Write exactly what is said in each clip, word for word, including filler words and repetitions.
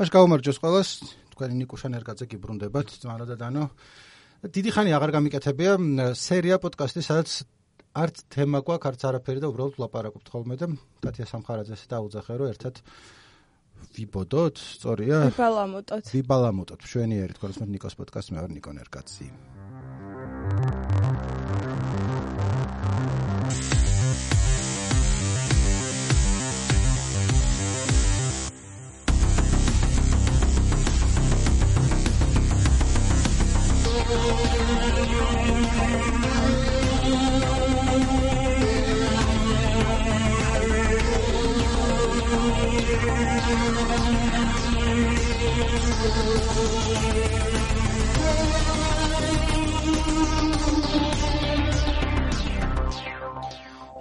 მაშ გაუმარჯოს ყველას, თქვენი ნიკუშა ნერგაძე გიბრუნდებათ, ძმანო და დანო. დიდი ხანი აღარ გამიკეთებია სერია პოდკასტი, სადაც არც თემა გვაქვს, არც არაფერი და უბრალოდ ვლაპარაკობთ ხოლმე და ტატია სამხარაძეს დაუძახე, რომ ერთად ვიბოდოთ, სწორია? ვიბალამოტოთ. ვიბალამოტოთ, მშვენიერი თქოს მე ნიკოს პოდკასტი, მე ვარ ნიკო ნერგაძე.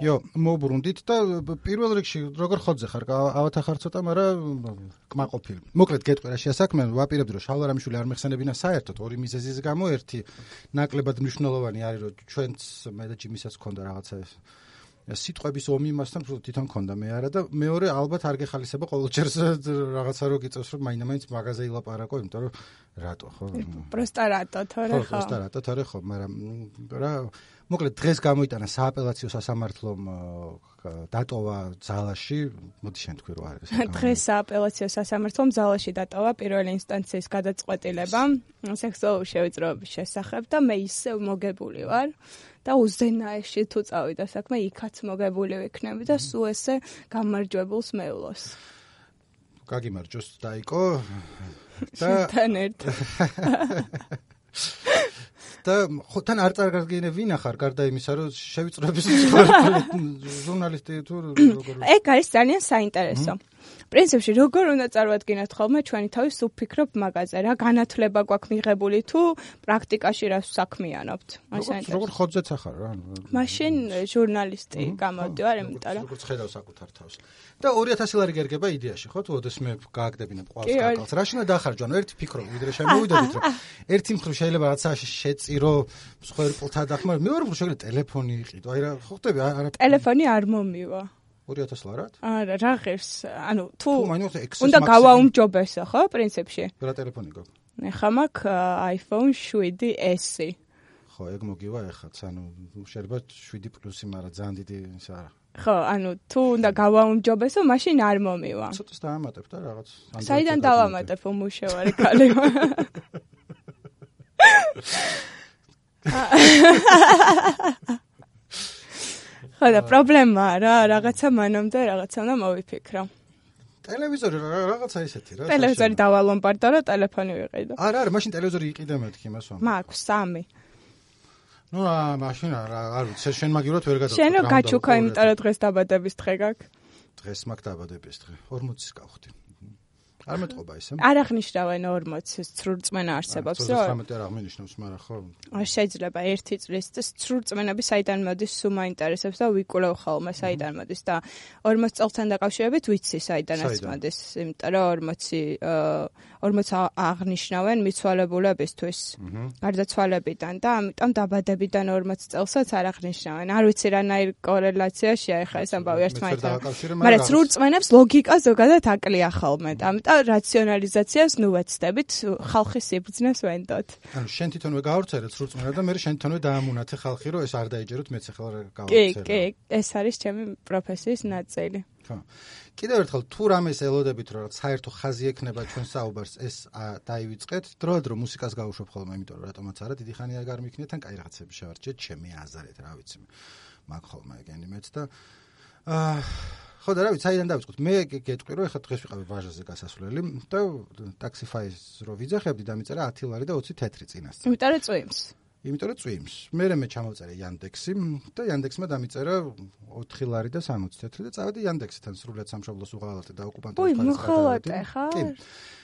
იო, მოვბრუნდით და პირველ რიგში როგორ ხოძე ხარ? ავათა ხარ ცოტა, მაგრამ კმაყოფილი. მოკლედ გეტყვი რა შეასაქმე, ვაპირებდი რომ შალვა რამიშვილი არ მეხსენებინა საერთოდ ორი მიზეზის გამო, ერთი ნაკლებად მნიშვნელოვანი არის, რომ ჩვენც მე და ჯიმისაც ჰქონდა რაღაცა სიტყვების ომი მასთან თვითონ ჰქონდა, მე არა და მეორე ალბათ არ გეხალისება ყოველჯერ რაღაცა რო გიწევს, რომ მაინდა-მაინც მაღაზია ილაპარაკო, იმიტომ რომ რატო ხო? პროსტა რატო, თორე ხო? პროსტა რატო, თორე ხო, მაგრამ რა მოკლედ დღეს გამოიტანა სააპელაციო სასამართლომ დატოვა ძალაში, მოდი შენ თქვი რა არის. დღეს სააპელაციო სასამართლომ ძალაში დატოვა პირველი ინსტანციის გადაწყვეტილება სექსუალური შევიწროების შესახებ და მე ისევ მოგებული ვარ და უზენაეში თუ წავიდა საქმე, იქაც მოგებული ვიქნები და სულ ესე გამარჯვებულს მევლოს. გაგიმარჯოს დაიკო და თან ერთად. და ხო თან არ წარგარგინე ვინ ახარ გარდა იმისა რომ შევიწროების ჟურნალისტი თუ როგორ ეგ არის ძალიან საინტერესო. პრინციპში როგორ უნდა წარვადგინოთ ხოლმე ჩვენი თავის უფიქრობ მაგაზე რა განათლება გვაქვს მიღებული თუ პრაქტიკაში რას საქმიანობთ. როგორ ხოძეც ახარ რა. მაშინ ჟურნალისტი გამოვდივარ, იმიტომ რომ როგორ ხედავ საკუთარ თავს. და ორი ათასი ლარი გერგება იდეაში, ხო? თუ ოდესმე გააგდებინებ ყვალს კაკალს. რაში უნდა დახარჯო? ანუ ერთი ფიქრო, ვიდრე შემოვიდოდით, რომ ერთი მხრივ შეიძლება რაღაცაში შეწირო, სხვა პლთა დახმარ, მეორე მხრივ შეიძლება ტელეფონი იყიდო. აი რა, ხო ხტები არა. ტელეფონი არ მომივა. ორი ათასი ლარად? არა, რა ღირს, ანუ თუ თუ უნდა გავაუმჯობესო, ხო, პრინციპში? რა ტელეფონი გაქვს? ეხლა მაქვს iPhone შვიდი S. ხო, ეგ მოგივა ეხაც, ანუ შეიძლება შვიდი პლუსი, მაგრამ ძალიან დიდი ის არა. ხო, ანუ თუ უნდა გავაუმჯობესო, მაშინ არ მომივა. ცოტას დაამატებ და რაღაც. საიდან დავამატებ, უმუშევარი ქალი. ხო და პრობლემაა რა, რაღაცა მანამდე რაღაცა უნდა მოვიფიქრო. ტელევიზორი რაღაცა ისეთი რა. ტელევიზორი დავალომბარდო და ტელეფონი ვიყიდო. არა, არა, მაშინ ტელევიზორი იყიდე მეთქი იმას ვამ. მაქვს სამი. ნუ აა მაშინ არა, არ ვიცი, შენ მაგივრად ვერ გადავწყვეტ. შენ რო გაჩუქა, იმიტომ რომ დღეს დაბადების დღე გაქვს. დღეს მაქვს დაბადების დღე. ორმოცის გავხდი. არ მეტყობა ისე? არ აღნიშნავენ ორმოცის ცრურწმენა არსებობს, რომ ცხრამეტი არ აღნიშნავს, მაგრამ ხო. არ შეიძლება ერთი წლის და ცრურწმენები საიდან მოდის, სულ მაინტერესებს და ვიკვლევ ხოლმე საიდან მოდის და ორმოც წელთან დაკავშირებით ვიცი საიდანაც მოდის, იმიტომ რომ ორმოცი ორმოც აღნიშნავენ მიცვალებულებისთვის, გარდაცვალებიდან და ამიტომ დაბადებიდან ორმოც წელსაც არ აღნიშნავენ. არ ვიცი რანაირ კორელაციაშია ეხლა ეს ამბავი ერთმანეთთან. მაგრამ ცრურწმენებს ლოგიკა ზოგადად აკლია ხოლმე და ამიტომ რაციონალიზაციას ნუ ვეცდებით, ხალხის სიბრძნეს ვენდოთ. ანუ შენ თვითონვე გაავრცელე ცრურწმენა და მე შენ თვითონვე დაამუნათე ხალხი, რომ ეს არ დაიჯეროთ, მეც ახლა გავავრცელე. კი, კი, ეს არის ჩემი პროფესიის ნაწილი. ხო. კიდევ ერთხელ თუ რამეს ელოდებით, რომ საერთო ხაზი ექნება ჩვენ საუბარს, ეს დაივიწყეთ, დროდადრო მუსიკას გავუშვებ ხოლმე, იმიტომ რომ რატომაც არა, დიდი ხანი არ გამიქნიეთ, ან კაი რაღაცები შევარჩიეთ, ჩემი აზრით, რა ვიცი. მაგ ხოლმე ეგენი მეც და აა ხო და რა ვიცი, საიდან დავიწყოთ? მე გეტყვი, რომ ეხლა დღეს ვიყავი ვაჟაზე გასასვლელი და ტაქსიფაის რო ვიძახებდი, დამიწერა ათი ლარი და ოცი თეთრი წინასწარ. იმიტომ რომ წვიმს. იმიტომ რომ წვიმს. მერე მე ჩამოვწერე Yandex-ი და Yandex-მა დამიწერა ოთხი ლარი და სამოცი თეთრი და წავედი Yandex-თან სრულიად სამშობლოს უღალატე და ოკუპანტების ხალხი. უი, მოხალატე ხარ? კი.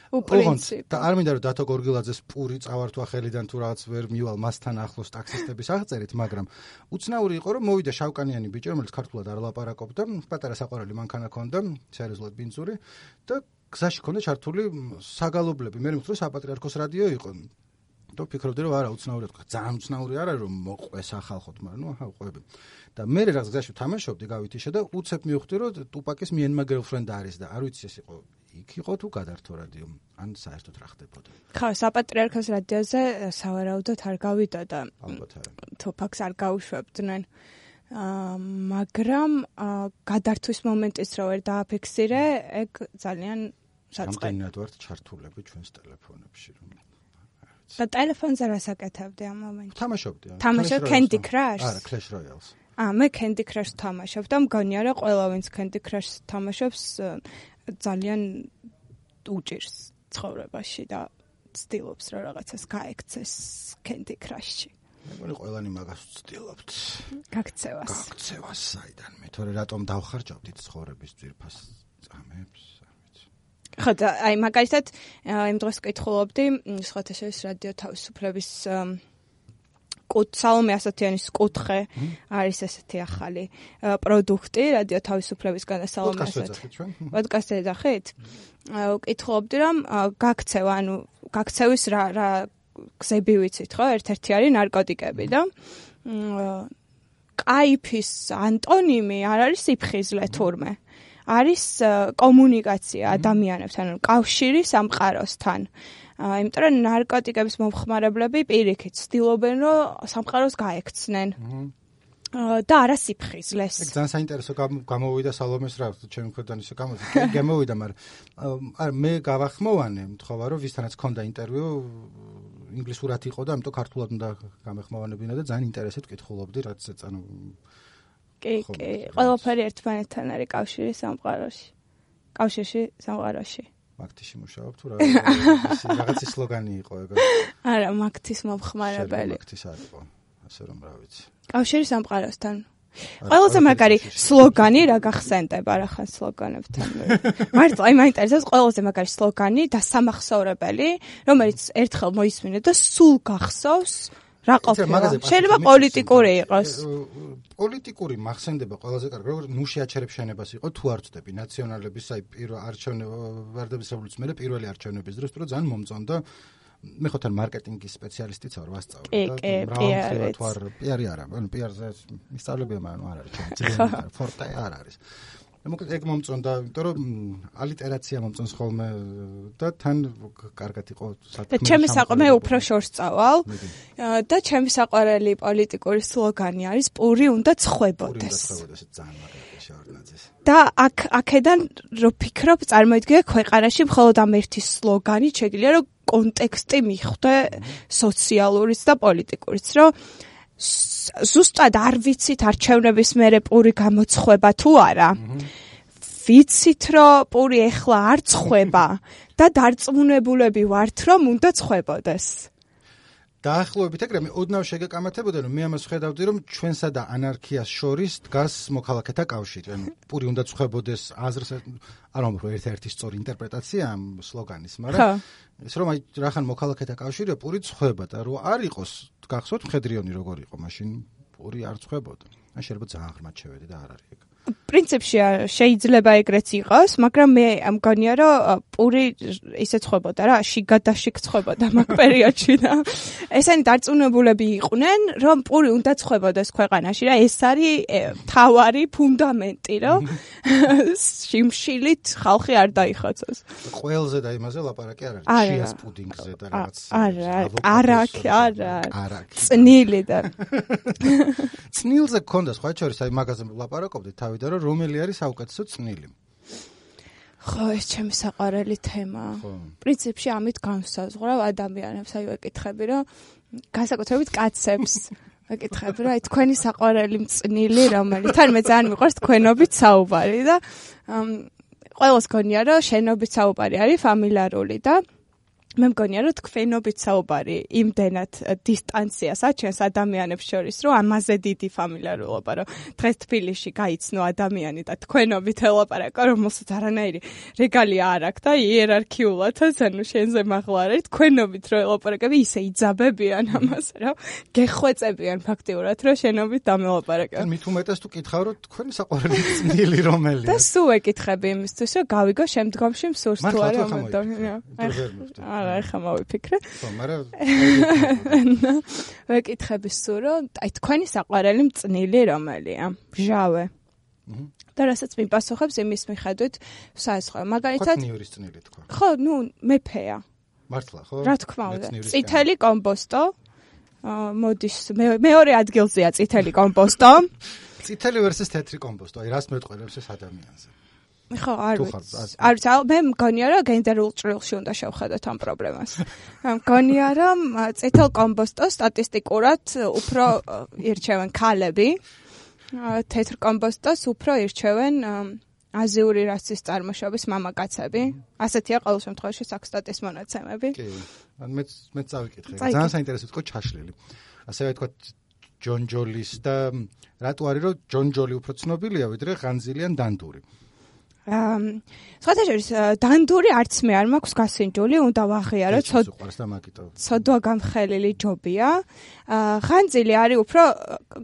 უპრინციპო. და არ მინდა რომ დათო გორგილაძეს პური წავართვა ხელიდან თუ რაღაც ვერ მივალ მასთან ახლოს ტაქსისტების აღწერით, მაგრამ უცნაური იყო რომ მოვიდა შავკანიანი ბიჭი, რომელიც ქართულად არ ლაპარაკობდა, პატარა საყვარელი მანქანა ჰქონდა, სერიოზულად ბინძური და გზაში ჰქონდა ჩართული საგალობლები. მე მithრო საპატრიარქოს რადიო იყო. და ფიქრობდი რომ არა უცნაურად თქვა, ძალიან უცნაური არა რომ მოყვეს ახალხოთ, მაგრამ ნუ აჰა ყვები. და მე რაღაც გზაში თამაშობდი, გავითიშე და უცებ მივხვდი რომ ტუპაკის Me and My Girlfriend არის და არ ვიცი ეს იყო იქ იყო თუ გადართო რადიო ან საერთოდ რა ხდებოდა? ხო, საპატრიარქოს რადიოზე სავარაუდოდ არ გავიდა და ალბათ არა. თუ ფაქს არ გავუშვებდნენ. აა მაგრამ გადართვის მომენტიც რო ვერ დააფიქსირე, ეგ ძალიან საწყე. რამდენად ვართ ჩართულები ჩვენს ტელეფონებში რომ და ტელეფონზე რასაკეთებდი ამ მომენტში? თამაშობდი. თამაშობ Candy Crush? არა, Clash Royale-ს. აა მე Candy Crush თამაშობ და მგონია რომ ყველა ვინც Candy Crush თამაშობს ძალიან უჭირს ცხოვრებაში და ცდილობს რომ რაღაცას გაექცეს Candy Crush-ში. მე მგონი ყველანი მაგას ვცდილობთ. გაქცევას. გაქცევას საიდან მე თორე რატომ დავხარჯავდით ცხოვრების ძვირფას წამებს? ხო და აი მაგალითად იმ დროს ვკითხულობდი სხვათა შორის რადიო თავისუფლების კუთ სალომე ასათიანის კუთხე არის ესეთი ახალი პროდუქტი რადიო თავისუფლებისგან და სალომე ასათიანი. პოდკასტი ეძახით? ვკითხულობდი რომ გაქცევა, ანუ გაქცევის რა რა გზები ვიცით ხო? ერთ-ერთი არის ნარკოტიკები და კაიფის ანტონიმი არ არის სიფხიზლე თურმე. არის კომუნიკაცია ადამიანებთან, ანუ კავშირი სამყაროსთან. იმიტომ რომ ნარკოტიკების მომხმარებლები პირიქით ცდილობენ რომ სამყაროს გაექცნენ. და არა სიფხიზლეს. ეგ ძალიან საინტერესო გამოვიდა სალომეს რა, ჩემი მხრიდან ისე გამოდი. კი გამოვიდა, მაგრამ არა მე გავახმოვანე, მთხოვა რომ ვისთანაც ჰქონდა ინტერვიუ ინგლისურად იყო და ამიტომ ქართულად უნდა გამეხმოვანებინა და ძალიან ინტერესად ვკითხულობდი, რაც ანუ კი, კი, ყველაფერი ერთმანეთთან არის კავშირი სამყაროში. კავშირში სამყაროში. მაგთიში მუშაობ თუ რა რაღაცი სლოგანი იყო ეგ? არა, მაგთის მომხმარებელი. მაგთის არ იყო, ასე რომ რა ვიცი. კავშირი სამყაროსთან. ყველაზე მაგარი სლოგანი რა გახსენდება რა ხან სლოგანებთან. მართლა აი მაინტერესებს ყველაზე მაგარი სლოგანი და სამახსოვრებელი, რომელიც ერთხელ მოისმინე და სულ გახსოვს. რა ყოფილა? შეიძლება პოლიტიკური იყოს. პოლიტიკური მახსენდება ყველაზე კარგი, როგორ ნუ შეაჩერებ შენებას იყო თუ არ ვწდები ნაციონალების აი პირველ არჩევნებ ვარდების რევოლუციის მერე პირველი არჩევნების დროს, რომ ძალიან მომწონდა. მე ხო თან მარკეტინგის სპეციალისტიც ვარ, ვასწავლე და მრავალმხრივად თუ არ პიარი არა, ანუ პიარზე მისწავლებია, მაგრამ არ არის ჩემი ფორტე არ არის. მოკლედ ეგ მომწონდა, იმიტომ რომ ალიტერაცია მომწონს ხოლმე და თან კარგად იყო საქმე. და ჩემი საყვარელი მე უფრო შორს წავალ და ჩემი საყვარელი პოლიტიკური სლოგანი არის პური უნდა ცხვებოდეს. და აქ აქედან რო ფიქრობ, წარმოიდგინე ქვეყანაში მხოლოდ ამ ერთი სლოგანი შეგვიძლია რომ კონტექსტი მიხვდე სოციალურიც და პოლიტიკურიც, რომ ზუსტად არ ვიცით არჩევნების მერე პური გამოცხება თუ არა. ვიცით რომ პური ეხლა არ ცხება და დარწმუნებულები ვართ რომ უნდა ცხვებოდეს. დაახლოებით ეგრე მე ოდნავ შეგეკამათებოდა რომ მე ამას ხედავდი რომ ჩვენსა და ანარქიას შორის დგას მოქალაქეთა კავშირი. ანუ პური უნდა ცხვებოდეს აზრს არ ვამბობ ერთ-ერთი სწორი ინტერპრეტაცია ამ სლოგანის, მაგრამ ეს რომ აი რახან მოქალაქეთა კავშირია პური ცხვება და რო არ იყოს გახსოვთ მხედრიონი როგორ იყო მაშინ პური არ ცხვებოდა. ან შეიძლება ძალიან ღრმად შევედი და არ არის ეგ. პრინციპში შეიძლება ეგრეც იყოს, მაგრამ მე მგონია რომ პური ისე ცხვებოდა რა, შიგადაშიგ ცხვებოდა მაგ პერიოდში და ესენი დარწმუნებულები იყვნენ, რომ პური უნდა ცხვებოდეს ქვეყანაში რა, ეს არის მთავარი ფუნდამენტი, რომ შიმშილით ხალხი არ დაიხოცოს. ყველზე და იმაზე ლაპარაკი არ არის, შიას პუდინგზე და რაღაც. არა, არაკი, არა. წნილი და წნილზე გქონდა სხვა შორის, აი მაგაზე ლაპარაკობდი თავი და რომ რომელი არის საუკეთესო წნილი. ხო, ეს ჩემი საყვარელი თემაა. პრინციპში ამით განსაზღვრავ ადამიანებს, აი ვეკითხები, რომ განსაკუთრებით კაცებს ვეკითხები, რომ აი თქვენი საყვარელი წნილი რომელი? თან მე ძალიან მიყვარს თქვენობით საუბარი და ყველას გონია, რომ შენობით საუბარი არის ფამილარული და მე მგონია რომ თქვენობით საუბარი იმდენად დისტანციას აჩენს ადამიანებს შორის, რომ ამაზე დიდი ფამილიარულობა, რომ დღეს თბილისში გაიცნო ადამიანი და თქვენობით ელაპარაკა, რომელსაც არანაირი რეგალია არ აქვს და იერარქიულადაც, ანუ შენზე მაღლა არის, თქვენობით რო ელაპარაკები, ისე იძაბებიან ამას, რომ გეხვეწებიან ფაქტიურად, რომ შენობით დამელაპარაკა. მით უმეტეს თუ კითხავ, რომ თქვენი საყვარელი წნილი რომელია? და სულ ეკითხები იმისთვის, რომ გავიგო შემდგომში მსურს თუ არა ამ ადამიანს. არა, ხა მოვიფიქრე. ხო, მაგრამ ვეკითხები სულ, რომ აი თქვენი საყვარელი წნილი რომელია? ჟავე. და რასაც მიპასუხებს იმის მიხედვით საესხო. მაგალითად, ნიურის წნილი თქვა. ხო, ნუ მეფეა. მართლა, ხო? რა თქმა უნდა. წითელი კომპოსტო. მოდის მეორე ადგილზეა წითელი კომპოსტო. წითელი versus თეთრი კომპოსტო. აი, რას მეტყველებს ეს ადამიანზე? ხო, არ ვიცი. არ ვიცი, მე მგონია რომ გენდერულ ჭრილში უნდა შევხედოთ ამ პრობლემას. მგონია რომ წითელ კომპოსტოს სტატისტიკურად უფრო ირჩევენ ქალები, თეთრ კომპოსტოს უფრო ირჩევენ აზიური რასის წარმოშობის მამაკაცები. ასეთია ყოველ შემთხვევაში საქსტატის მონაცემები. კი, მეც მეც წავიკითხე. ძალიან საინტერესო იყო ჩაშლილი. ასევე თქვა ჯონ ჯოლის და რატო არის რომ ჯონ ჯოლი უფრო ცნობილია ვიდრე ღანძილიან დანდური. აა სხვათა შორის დანდური არც მე არ მაქვს გასინჯული, უნდა ვაღიარო ცოდვა გამხელილი ჯობია. აა ღანძილი არის უფრო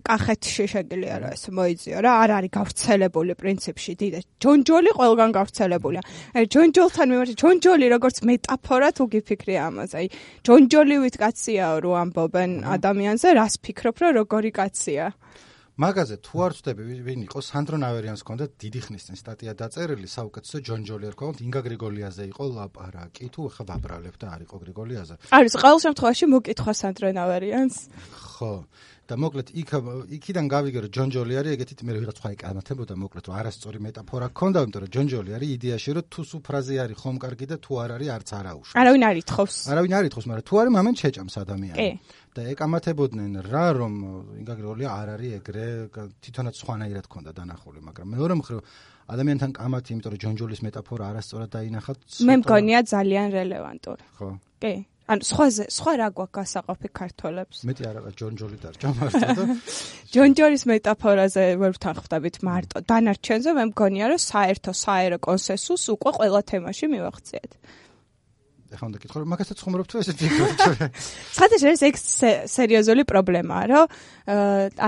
კახეთში შეგიძლია რა ეს მოიძიო რა, არ არის გავრცელებული პრინციპში დიდ. ჯონჯოლი ყველგან გავრცელებულია. აი ჯონჯოლთან მიმართ ჯონჯოლი როგორც მეტაფორა თუ გიფიქრე ამაზე. აი ჯონჯოლივით კაცია რო ამბობენ ადამიანზე, რას ფიქრობ რომ როგორი კაცია? მაგაზე თუ არ ვწდები ვინ იყო სანდრო ნავერიანს ჰქონდა დიდი ხნის წინ სტატია დაწერილი საუკეთესო ჯონ ჯოლი არ ქონდა ინგა გრიგოლიაზე იყო ლაპარაკი თუ ხა ვაბრალებ და არ იყო გრიგოლიაზე არის ყოველ შემთხვევაში მოკითხვა სანდრო ნავერიანს ხო და მოკლედ იქ იქიდან გავიგე რომ ჯონ ჯოლი არის ეგეთით მე ვიღაც სხვა იკამათებოდა მოკლედ რომ არასწორი მეტაფორა ჰქონდა იმიტომ რომ ჯონ ჯოლი არის იდეაში რომ თუ სუ ფრაზე არის ხომ კარგი და თუ არ არის არც არაუშავს არავინ არ ითხოვს არავინ არ ითხოვს მაგრამ თუ არის მამენ შეჭამს ადამიანი და ეკამათებოდნენ რა რომ ინგა გრიგოლია არ არის ეგრე თვითონაც სხვანაირად ჰქონდა დანახული მაგრამ მეორე მხრივ ადამიანთან კამათი იმიტომ რომ ჯონ ჯოლის მეტაფორა არასწორად დაინახათ მე მგონია ძალიან რელევანტური ხო კი ანუ სხვაზე სხვა რა გვაქვს გასაყოფი ქართველებს მეტი არა ჯონ ჯოლი დარჩა მარტო და ჯონ ჯოლის მეტაფორაზე ვერ ვთანხმდებით მარტო დანარჩენზე მე მგონია რომ საერთო საერო კონსენსუსს უკვე ყველა თემაში მივახციეთ ეხლა უნდა კითხო რომ მაგასაც ხუმრობ თუ ესე ფიქრობ საერთოდ ეს ეგ სერიოზული პრობლემაა რომ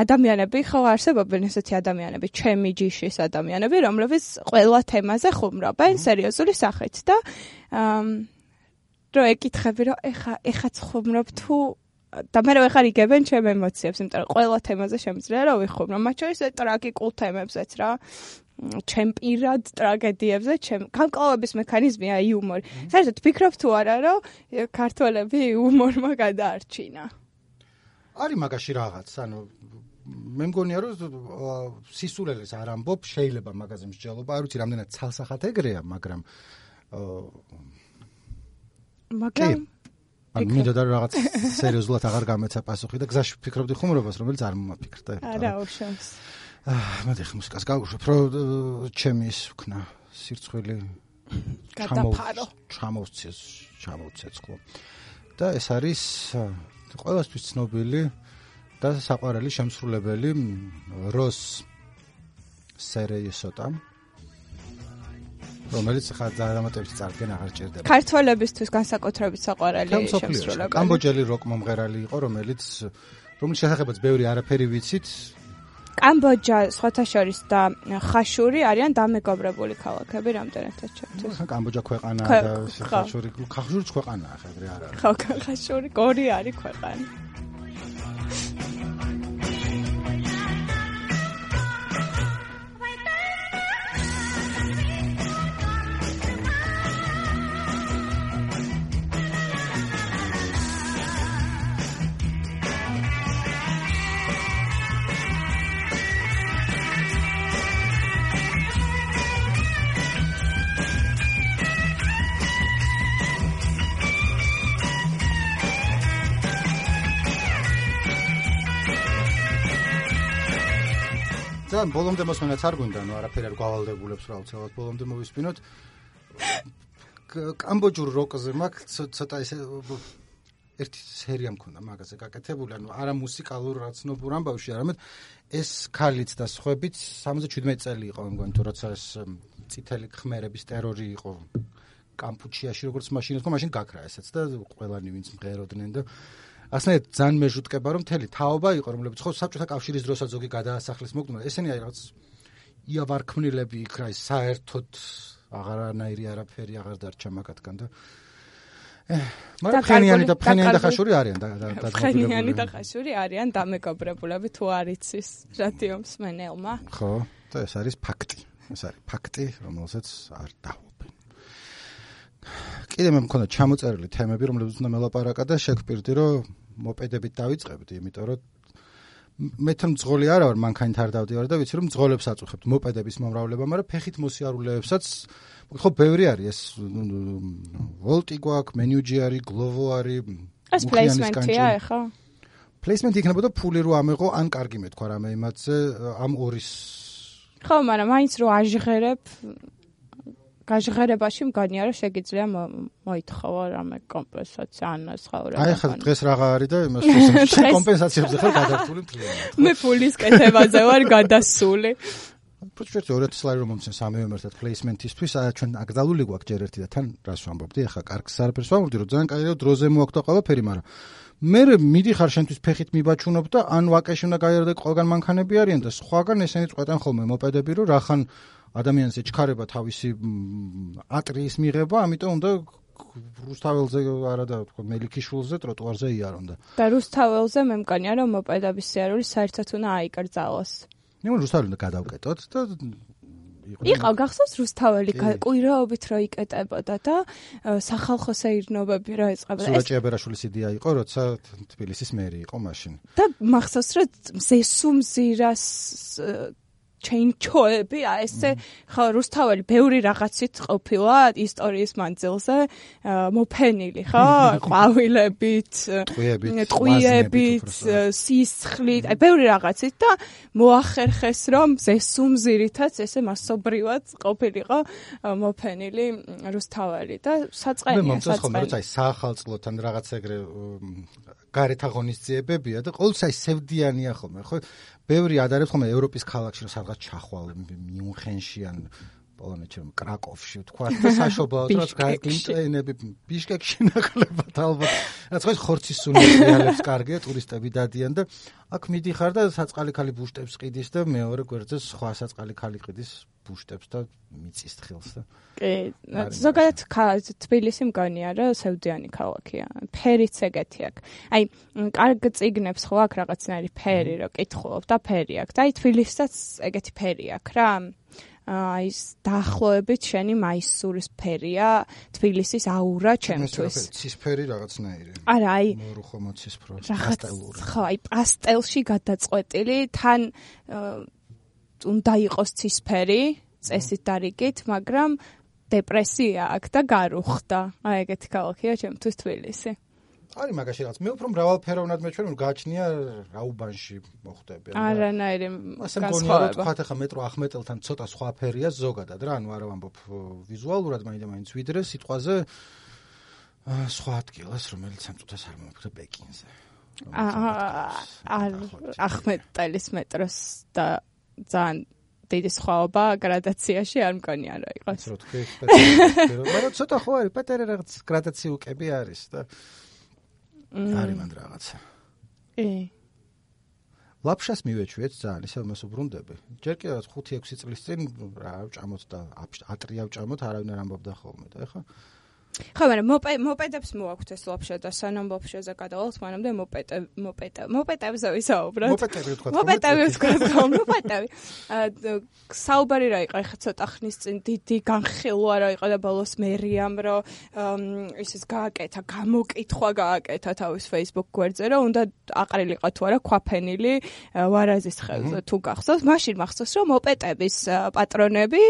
ადამიანები ხო არსებობენ ესეთი ადამიანები ჩემი ჯიშის ადამიანები რომლებიც ყველა თემაზე ხუმრობენ სერიოზული სახით და რო ეკითხები რომ ეხა ეხაც ხუმრობ თუ და მე რო ეხარ იგებენ ჩემ ემოციებს იმიტომ რომ ყველა თემაზე შემიძლია რომ ვიხუმრო მათ შორის ტრაგიკულ თემებზეც რა ჩემ პირად ტრაგედიებზე ჩემ გამკლავების მექანიზმია იუმორი. საერთოდ ფიქრობ თუ არა რომ ქართველები იუმორმა გადაარჩინა? არის მაგაში რაღაც, ანუ მე მგონია რომ სისულელეს არ ამბობ, შეიძლება მაგაზე მსჯელობა, არ ვიცი რამდენად ცალსახად ეგრეა, მაგრამ მაგრამ ანუ მინდა და რაღაც სერიოზულად აღარ გამეცა პასუხი და გზაში ფიქრობდი ხუმრობას, რომელიც არ მომაფიქრდა. არა, უშავს. აა მე ხე მუსიკას გავუშვებ, რომ ჩემი ის ვქნა სირცხვილი გადაფარო. ჩამოვცეს, ჩამოვცეცხლო. და ეს არის ყველასთვის ცნობილი და საყვარელი შემსრულებელი როს სერეიესოტა. რომელიც ხა დრამატებში წარდგენ აღარ ჭირდება. ქართველებისთვის განსაკუთრებით საყვარელი შემსრულებელი. კამბოჯელი როკ მომღერალი იყო, რომელიც რომელიც შესახებაც ბევრი არაფერი ვიცით. კამბოჯა, სხვათა შორის და ხაშური არიან დამეგობრებული ქალაქები რამდენადაც ჩემთვის. ხა კამბოჯა ქვეყანა და ხაშური, ხაშურიც ქვეყანაა, ხა ეგრე არ არის. ხო, ხაშური გორი არის ქვეყანა. ძალიან ბოლომდე მოსმენაც არ გვინდა, ნუ არაფერი არ გავალდებულებს რა უცებად ბოლომდე მოვისპინოთ. კამბოჯურ როკზე მაქვს ცოტა ესე ერთი სერია მქონდა მაგაზე გაკეთებული, ანუ არა მუსიკალურ რაცნობურ ამბავში, არამედ ეს ქალიც და სხვაებიც სამოცდაშვიდმეტი წელი იყო, მგონი თუ როცა ეს წითელი ხმერების ტერორი იყო კამპუჩიაში, როგორც მაშინ იყო, მაშინ გაქრა ესეც და ყველანი ვინც მღეროდნენ და ასნაირად ძალიან მეჟუტკება რომ მთელი თაობა იყო რომლებიც ხო საბჭოთა კავშირის დროსაც ზოგი გადაასახლეს მოკდნენ ესენი აი რაღაც იავარქმნილები იქ რა საერთოდ აღარანაირი არაფერი აღარ დარჩა მაგათგან და მაგრამ ფხენიანი და ფხენიანი და ხაშური არიან და ფხენიანი და ხაშური არიან დამეგობრებულები თუ არ იცის რადიო მსმენელმა ხო და ეს არის ფაქტი. ეს არის ფაქტი, რომელსაც არ დაჰუბენ. კიდე მე მქონდა ჩამოწერილი თემები, რომლებიც უნდა მელაპარაკა და შეგპირდი, რომ მოპედებით დავიწყებდი, იმიტომ რომ მე თან მძღოლი არა ვარ, მანქანით არ დავდივარ და ვიცი რომ მძღოლებს აწუხებთ მოპედების მომრავლება, მაგრამ ფეხით მოსიარულეებსაც ხო ბევრი არის ეს ვოლტი გვაქვს, მენიუჯი არის, გლოვო არის, ეს პლეისმენტია ეხა? პლეისმენტი იქნებოდა ფული რო ამეღო, ან კარგი მეთქვა რამე იმათზე ამ ორის. ხო, მაგრამ მაინც რო აჟღერებ გაჟღერებაში მგონია რომ შეგიძლია მოითხოვო რამე კომპენსაცია ან სხვა. აი ხა დღეს რაღა არის და იმას კომპენსაციებზე ხარ გადართული მთლიანად. მე ფულის კეთებაზე ვარ გადასული. პროცესში ორი ათი ლარი რომ მომცენ სამივე ერთად პლეისმენტისთვის, ჩვენ აკრძალული გვაქვს ჯერ ერთი და თან რას ვამბობდი, ახლა კარგს არაფერს ვამბობდი, რომ ძალიან კაია დროზე მოაქვს და ყველაფერი, მაგრამ მე მიდიხარ შენთვის ფეხით მიბაჩუნობ და ან ვაკეში უნდა გაიარო და ყველგან მანქანები არიან და სხვაგან ესენი წყვეტენ ხოლმე მოპედები, რომ რახან ადამიანს ეჩქარება თავისი ატრიის მიღება, ამიტომ უნდა რუსთაველზე არა და თქო მელიქიშვილზე ტროტუარზე იარონ და. და რუსთაველზე მე მგონია რომ მოპედების სიარული საერთოდ უნდა აიკრძალოს. ნუ რუსთაველი უნდა გადავკეტოთ და იყო გახსოვს რუსთაველი კვირაობით რო იკეტებოდა და სახალხო სეირნობები რო ეწყებოდა. სურაჭი აბერაშვილის იდეა იყო, როცა თბილისის მერი იყო მაშინ. და მახსოვს რომ ზესუმზირას ჩენჩოები, აი ესე ხო რუსთაველი ბევრი რაღაცით ყოფილა ისტორიის მანძილზე მოფენილი, ხო? ყვავილებით, ტყვიებით, სისხლით, აი ბევრი რაღაცით და მოახერხეს რომ ზესუმზირითაც ესე მასობრივად ყოფილიყო მოფენილი რუსთაველი და საწყენია მე მომწონს ხოლმე რომ აი საახალწლოთან რაღაც ეგრე გარეთ აღონისძიებებია და ყოველთვის აი სევდიანია ხოლმე, ხო? ბევრი ადარებს ხოლმე ევროპის ქალაქში რომ სადღაც ჩახვალ მიუნხენში ან პოლონეთში რომ კრაკოვში თქვა და საშობაოდ რაც გაიგლინტენები ბიშკეკში ნაკლებად ალბათ რაც ხო ხორცის სუნიალებს კარგია ტურისტები დადიან და აქ მიდიხარ და საწყალი ქალი ბუშტებს ყიდის და მეორე გვერდზე სხვა საწყალი ქალი ყიდის ბუშტებს და მიწის თხილს და კი ზოგადად თბილისი მგონია რომ სევდიანი ქალაქია ფერიც ეგეთი აქვს აი კარგ წიგნებს ხო აქვს რაღაცნაირი ფერი რომ კითხულობ და ფერი აქვს და აი თბილისსაც ეგეთი ფერი აქვს რა აი ეს დაახლოებით შენი მაისურის ფერია თბილისის აურა ჩემთვის ცისფერი რაღაცნაირი არა აი მორუხო მოცისფრო პასტელური ხო აი პასტელში გადაწყვეტილი თან უნდა იყოს ცისფერი წესით დარიგით მაგრამ დეპრესია აქვს და გარუხდა აი ეგეთი ქალაქია ჩემთვის თბილისი არის მაგაში რაღაც მე უფრო მრავალფეროვნად მეჩვენ რომ გააჩნია რაუბანში მოხდები არანაირი განსხვავება თქვა ახლა მეტრო ახმეტელთან ცოტა სხვა ფერია ზოგადად რა ანუ არა ვამბობ ვიზუალურად მაინდა მაინც ვიდრე სიტყვაზე სხვა ადგილას რომელიც ამ წუთას არ მომხდა პეკინზე აა ახმეტელის მეტროს და ძალიან დიდი სხვაობა გრადაციაში არ მგონია რა იყოს რო თქვი მაგრამ ცოტა ხო არის პატარა რაღაც გრადაციუკები არის და არის მანდ რაღაცა. ე. ლაფშას მივეჩვიეთ ძალიან, ისე მას უბრუნდები. ჯერ კიდევ ხუთი ექვსი წლის წინ რა ვჭამოთ და ატრია ვჭამოთ, არავინ არ ამბობდა ხოლმე და ეხა ხო, მაგრამ მოპედებს მოაქვთ ეს ლაფშა და სანამ ლაფშაზე გადავალთ, მანამდე მოპედე მოპედე მოპედებზე ვისაუბროთ. მოპედები თქვა. მოპედები თქვა, მოპედები. საუბარი რა იყო, ეხა ცოტა ხნის წინ დიდი განხილვა რა იყო და ბოლოს მერიამ რომ ისეს გააკეთა, გამოკითხვა გააკეთა თავის Facebook გვერდზე, რომ უნდა აყრილიყო თუ არა ქვაფენილი ვარაზის ხევზე თუ გახსოვს. მაშინ მახსოვს რომ მოპედების პატრონები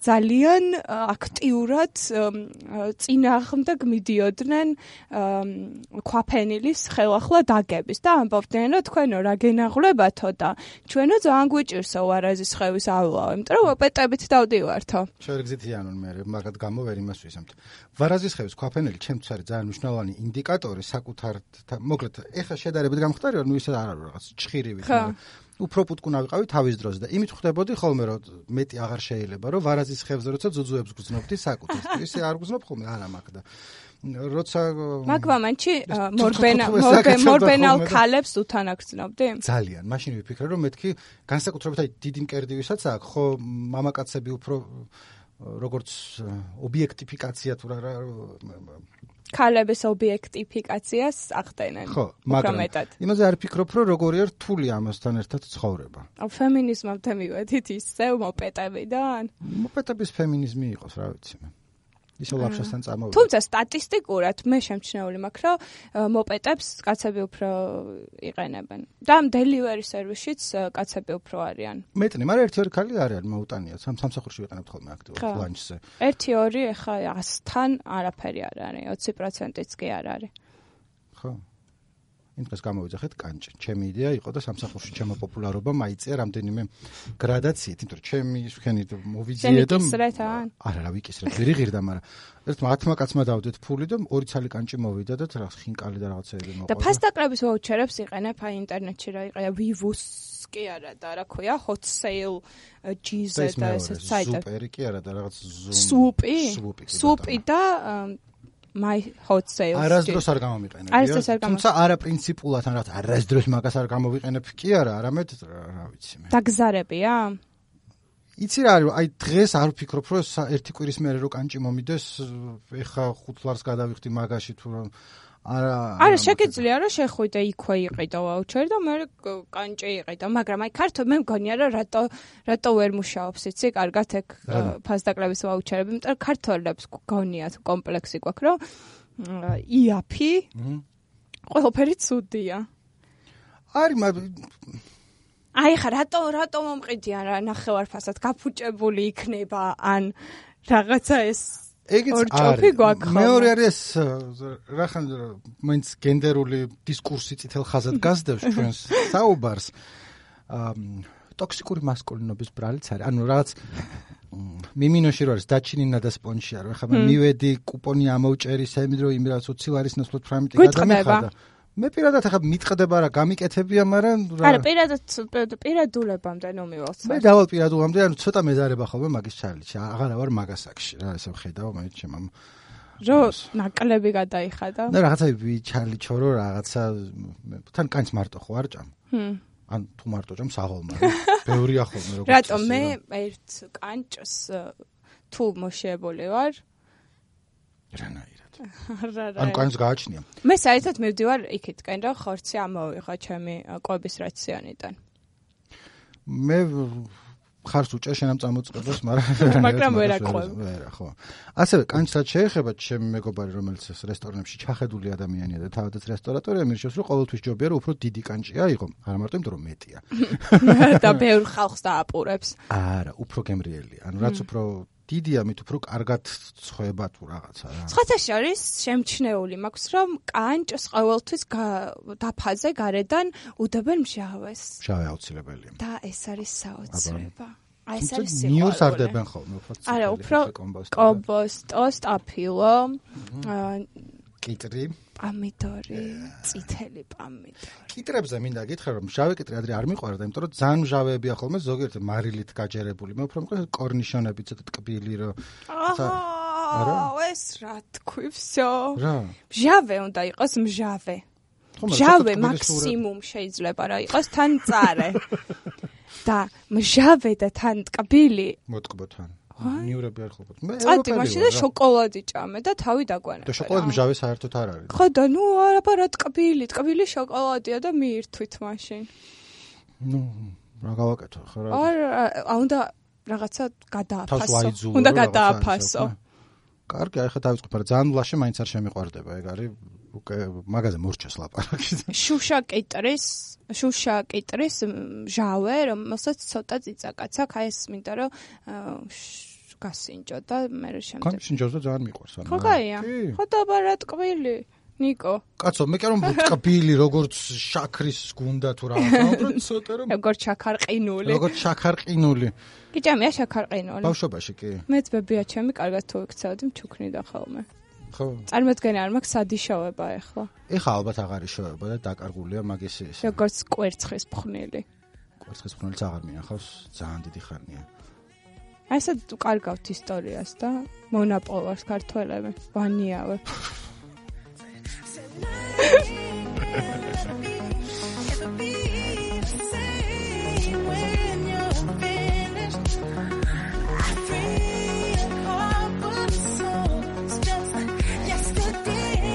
ძალიან აქტიურად წინა ხმდა მიდიოდნენ ქვაფენილის ხელახლა დაგების და ამბობდნენ რომ თქვენო რა გენაღლებათო და ჩვენო ძალიან გვიჭირსო ვარაზის ხევის ავლა, იმიტომ რომ მოპედებით დავდივართო. შეგრძითიანონ მე მაგათ გამო ვერ იმას ვისამთ. ვარაზის ხევის ქვაფენილი ჩემთვის არის ძალიან მნიშვნელოვანი ინდიკატორი საკუთარ მოკლედ ეხა შედარებით გამختارია ნუ ისე არ არის რაღაც ჭხირივით უფრო პუტკუნა ვიყავი თავის დროზე და იმით ხვდებოდი ხოლმე რომ მეტი აღარ შეიძლება რომ ვარაზის ხევზე როცა ძუძუებს გძნობდი საკუთრს ისე არ გძნობ ხოლმე არა მაქვს და როცა მაგ მომენტში მორბენა მორბენალ ქალებს უთან აგრძნობდი ძალიან მაშინ ვიფიქრე რომ მეთქი განსაკუთრებით აი დიდი მკერდი ვისაც აქვს ხო მამაკაცები უფრო როგორც ობიექტიფიკაცია თუ რა ქალების ობიექტიფიკაციას ახდენენ. ხო, მაგრამ იმაზე არ ფიქრობ, რომ როგორია რთული ამასთან ერთად ცხოვრება. ფემინიზმამდე მივედით ისევ მოპეტებიდან? მოპეტების ფემინიზმი იყოს, რა ვიცი მე. ისო ლაფშასთან წამოვიდა. თუმცა სტატისტიკურად მე შემჩნეული მაქვს, რომ მოპეტებს კაცები უფრო იყენებენ. და დელივერი სერვისშიც კაცები უფრო არიან. მეტნი, მაგრამ ერთი ორი ქალი არიან მოუტანიათ. სამსახურში ვიყენებთ ხოლმე აქტიურად ლანჩზე. ერთი ორი ეხა ასთან არაფერი არ არის, ოცი პროცენტიც კი არ არის. ხო. იმ დღეს გამოვიძახეთ კანჭი. ჩემი იდეა იყო და სამსახურში ჩემო პოპულარობა მაიწია რამდენიმე გრადაციით, იმიტომ რომ ჩემი შენი მოვიძიე და არა რა ვიკისრებ, ვერ იღირდა, მაგრამ ერთმა ათმა კაცმა დავდეთ ფული და ორი ცალი კანჭი მოვიდა და რაღაც ხინკალი და რაღაცეები მოყვა. და ფასტაკლების ვაუჩერებს იყენებ აი ინტერნეტში რა იყია Vivus კი არა და რა ქვია Hot Sale ჯი ზედ და ეს საიტი. სუპერი კი არა და რაღაც სუპი. სუპი და My Hot Sales. არასდროს არ გამომიყენებია. თუმცა არა პრინციპულად ან რაღაც არასდროს მაგას არ გამოვიყენებ კი არა, არამედ რა ვიცი მე. დაგზარებია? იცი რა არის, აი დღეს არ ვფიქრობ, რომ ერთი კვირის მერე რო კანჭი მომიდეს, ეხა ხუთ ლარს გადავიხდი მაგაში თუ რომ არა არა შეგიძლია რომ შეხვიდე იქვე იყიდო ვაუჩერი და მე კანჭი იყიდო, მაგრამ აი ქართო მე მგონია რომ რატო რატო ვერ მუშაობს იცი კარგად ეგ ფასდაკლების ვაუჩერები, იმიტომ რომ ქართველებს გონიათ კომპლექსი გვაქვს რომ იაფი ყველაფერი ცუდია. არის მაგრამ აი ხა რატო რატო მომყიდიან რა ნახევარფასად გაფუჭებული იქნება ან რაღაცა ეს ეგეც არის. მეორე არის რახან მაინც გენდერული დისკურსი წითელ ხაზად გასდევს ჩვენს საუბარს. ტოქსიკური მასკულინობის ბრალიც არის. ანუ რაღაც მიმინოში რო არის დაჩინინა და სპონჩია რო ხა მივედი კუპონი ამოვჭერი სემიდრო იმ რაღაც ოცი ლარის ნაცვლად პრაიმიტი გადამიხადა. მე პირადად ახლა მიტყდება რა გამიკეთებია, მაგრამ არა პირადად პირადულებამდე ნუ მივალს. მე დავალ პირადულებამდე, ანუ ცოტა მეზარება ხოლმე მაგის ჩარლიში. აღარა ვარ მაგასაკში რა, ესე ვხედავ მე ჩემამ. რო ნაკლები გადაიხადა. და რაღაცა ვიჩარლი ჩორო რაღაცა თან კანს მარტო ხო არ ჭამ. ჰმ. ან თუ მარტო ჭამ საღოლმა. ბევრია ხოლმე როგორც. რატომ მე ერთ კანჭს თუ მოშებული ვარ? რანაირად. ან კანს გააჩნია. მე საერთოდ მივდივარ იქითკენ, რომ ხორცი ამოვიღო ჩემი კვების რაციონიდან. მე ხარს უჭერ შენამ წამოწყებას, მაგრამ მაგრამ ვერ აყვევ. ვერა, ხო. ასევე კანჩსაც შეეხება ჩემი მეგობარი, რომელიც ეს რესტორნებში ჩახედული ადამიანია და თავადაც რესტორატორია, მირჩევს, რომ ყოველთვის ჯობია, რომ უფრო დიდი კანჭი აიღო, არა მარტო იმიტომ, რომ მეტია. და ბევრ ხალხს დააპურებს. არა, უფრო გემრიელია. ანუ რაც უფრო დიდია, მით უფრო კარგად ცხება თუ რაღაცა რა. სხვათა შორის შემჩნეული მაქვს, რომ კანჭს ყოველთვის დაფაზე გარედან უდებენ მჟავეს. მჟავე აუცილებელია. და ეს არის საოცრება. აი ეს არის სიყვარული. ნიურს არ დებენ ხოლმე უფრო. არა, უფრო კომბოსტო, სტაფილო, კიტრი, პამიდორი, წითელი პამიდორი. კიტრებზე მინდა გითხრა, რომ მჟავე კიტრი ადრე არ მიყვარდა, იმიტომ რომ ძალიან მჟავეებია ხოლმე ზოგიერთი მარილით გაჯერებული. მე უფრო მყავს კორნიშონები ცოტა ტკბილი რო. არა, ეს რა თქვი, всё. რა? მჟავე უნდა იყოს მჟავე. მჟავე მაქსიმუმ შეიძლება რა იყოს თან წარე. და მჟავე და თან ტკბილი. მოტკბო თან. ნიურები არ ხლობთ. მე წადი მაშინ და შოკოლადი ჭამე და თავი დაგვანა. და შოკოლადი მჟავე საერთოდ არ არის. ხო და ნუ არა რა ტკბილი, ტკბილი შოკოლადია და მიირთვით მაშინ. ნუ რა გავაკეთო ხო რა. არა, უნდა რაღაცა გადააფასო. უნდა გადააფასო. კარგი, ახლა დავიწყებ, მაგრამ ძალიან ლაშე მაინც არ შემიყვარდება, ეგ არის უკვე მაგაზე მორჩას ლაპარაკი. შუშა კიტრის, შუშა კიტრის მჟავე, რომელსაც ცოტა წიწაკაც აქვს, აი ეს მინდა რომ გასინჯო და მე შემდეგ. ხო, სინჯოს და ძალიან მიყვარს ანუ. ხო, გაია. ხო და ბარა ტკბილი. ნიკო. კაცო, მე კი რომ ტკბილი, როგორც შაქრის გუნდა თუ რაღაცა, უბრალოდ ცოტა რომ როგორც შაქარყინული. როგორც შაქარყინული. კი ჭამია შაქარყინული. ბავშვობაში კი. მეც ბებია ჩემი კარგად თუ იქცევდი მჩუქნიდა ხოლმე. ხო. წარმოდგენა არ მაქვს სადიშოვება ახლა. ეხლა ალბათ აღარ იშოვება და დაკარგულია მაგის ის. როგორც კვერცხის ფხვნილი. კვერცხის ფხვნილიც აღარ მინახავს, ძალიან დიდი ხანია. აი ესა კარგავთ ისტორიას და მონაპოვარს ქართველები, ვანიავე. Yesterday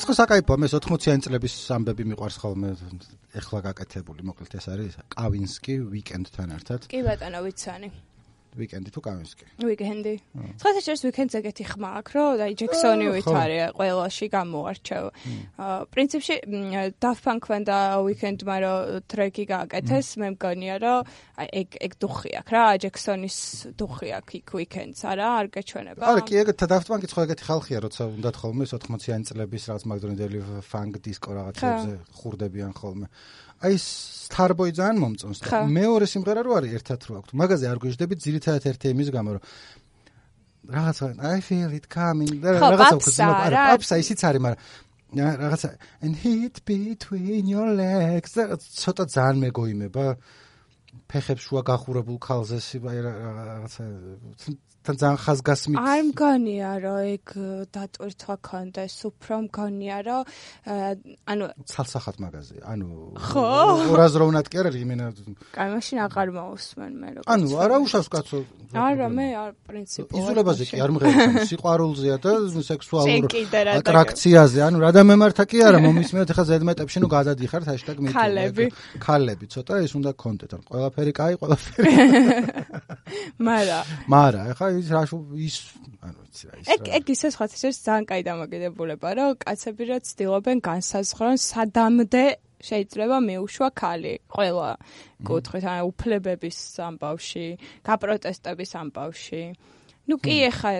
ხო საკაიფოა, მე ოთხმოციანი წლების ამბები მიყვარს ხოლმე, ეხლა გაკეთებული, მოკლედ ეს არის კავინსკი ვიკენდთან ერთად. კი ბატონო, ვიცანი. ვიკენდი თუ კავინსკი? ვიკენდი. სხვათა შორის ვიკენდზე ეგეთი ხმა აქვს, რომ აი ჯექსონი ვითარია ყველაში გამოარჩევ. პრინციპში Daft Punk-მან და Weekend-მა რო ტრეკი გააკეთეს, მე მგონია რომ აი ეგ ეგ დუხი აქვს რა, ჯექსონის დუხი აქვს იქ Weekend-ს არა, არ გაჩვენება. არა, კი ეგ Daft Punk-იც ხო ეგეთი ხალხია, როცა უნდათ ხოლმე ოთხმოციანი წლების რაღაც მაგდრონდელი funk disco რაღაცებზე ხურდებიან ხოლმე. აი Starboy ძალიან მომწონს და მეორე სიმღერა რო არის ერთად რო აქვს. მაგაზე არ გვიждდებით ძირითადად ერთი იმის გამო რომ რაღაცა I feel it coming და რაღაცა უხსნა არა პაპსა ისიც არის, მაგრამ რაღაცა and hit between your legs და ცოტა ძალიან მეგოიმება ფეხებს შუა გახურებულ ქალზე რაღაცა თან ძალიან ხაზგასმით არ მგონია რომ ეგ დატვირთვა ქონდეს, უფრო მგონია რომ ანუ ცალსახად მაგაზე ანუ ხო ორაზროვნად კი არა იმენა კაი მაშინ აღარ მოусმენ მე როგორც ანუ არა უშავს კაცო არა მე არ პრინციპულად იზოლებაზე კი არ მღერია სიყვარულზეა და სექსუალურ ატრაქციაზე ანუ რა დამემართა კი არა მომისმენთ ახლა ზედმეტებში ნუ გადადიხართ ჰაშტაგ მე ქალები ქალები ცოტა ის უნდა კონტენტ ან ყველაფერი კაი ყველაფერი მარა მარა ახლა ის რა ის ანუ ვიცი რა ის ეგ ეგ ისე სხვა თითქოს ძალიან კაი დამოკიდებულება რომ კაცები რა ცდილობენ განსაზღვრონ სადამდე შეიძლება მეუშვა ქალი ყველა კუთხით ან უფლებების ამბავში გაპროტესტების ამბავში ნუ კი ეხა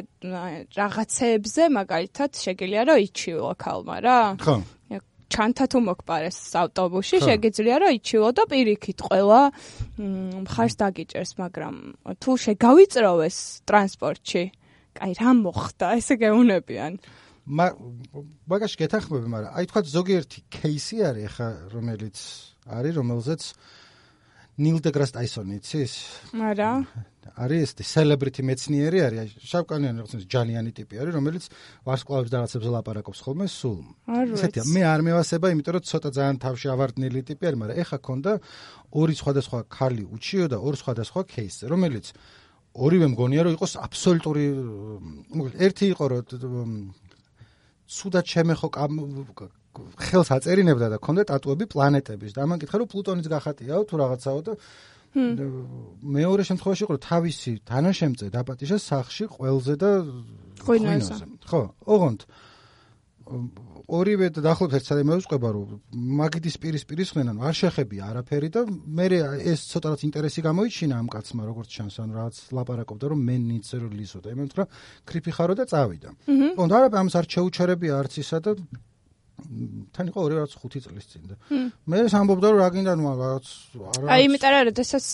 რაღაცეებზე მაგალითად შეგიძლია რომ იჩივლო ქალმა რა ხო ჩანთა თუ მოგპარეს ავტობუსში შეგიძლია რომ იჩივლო და პირიქით ყველა მხარს დაგიჭერს მაგრამ თუ შეგავიწროვეს ტრანსპორტში კაი რა მოხდა ესე გეუნებიან მაგაში გეთანხმები, მაგრამ აი თქვა ზოგიერთი кейსი არის ახლა რომელიც არის რომელზეც ნილ დეგრას ტაისონი იცის? არა. არის ეს სელებრიტი მეცნიერი არის, შავკანიანი რაღაცა ჯანიანი ტიპი არის, რომელიც ვარსკვლავებს და რაღაცებზე ლაპარაკობს ხოლმე სულ. ისეთია, მე არ მევასება, იმიტომ რომ ცოტა ძალიან თავში ავარდნილი ტიპი არის, მაგრამ ეხა ქონდა ორი სხვადასხვა ქალი უჩიო და ორი სხვადასხვა кейსი, რომელიც ორივე მგონია რომ იყოს აბსოლუტური ერთი იყო რომ სუდად შემეხო ხელს აწერინებდა და ქონდა ტატუები პლანეტების და ამან კითხა რომ პლუტონიც გახატიაო თუ რაღაცაო და მეორე შემთხვევაში იყო რომ თავისი თანაშემწე დაპატიჟა სახლში ყველზე და ღვინოზე ხო ოღონდ ორივე დაახლოებით ერთ საათი მეუწყება რომ მაგიდის პირისპირის ხდნენ არ შეხებია არაფერი და მე ეს ცოტა რაც ინტერესი გამოიჩინა ამ კაცმა როგორც ჩანს ანუ რაღაც ლაპარაკობდა რომ მე ნიცე რომ ლისო და იმენ თქვა კრიფი ხარო და წავიდა ოღონდ არა ამას არ შეუჩერებია არც ისა და თან იყო ორი რაც ხუთი წლის წინ და მე სამბობდა რომ რა გინდა ნუ რაღაც არა აი იმიტომ რომ შესაძ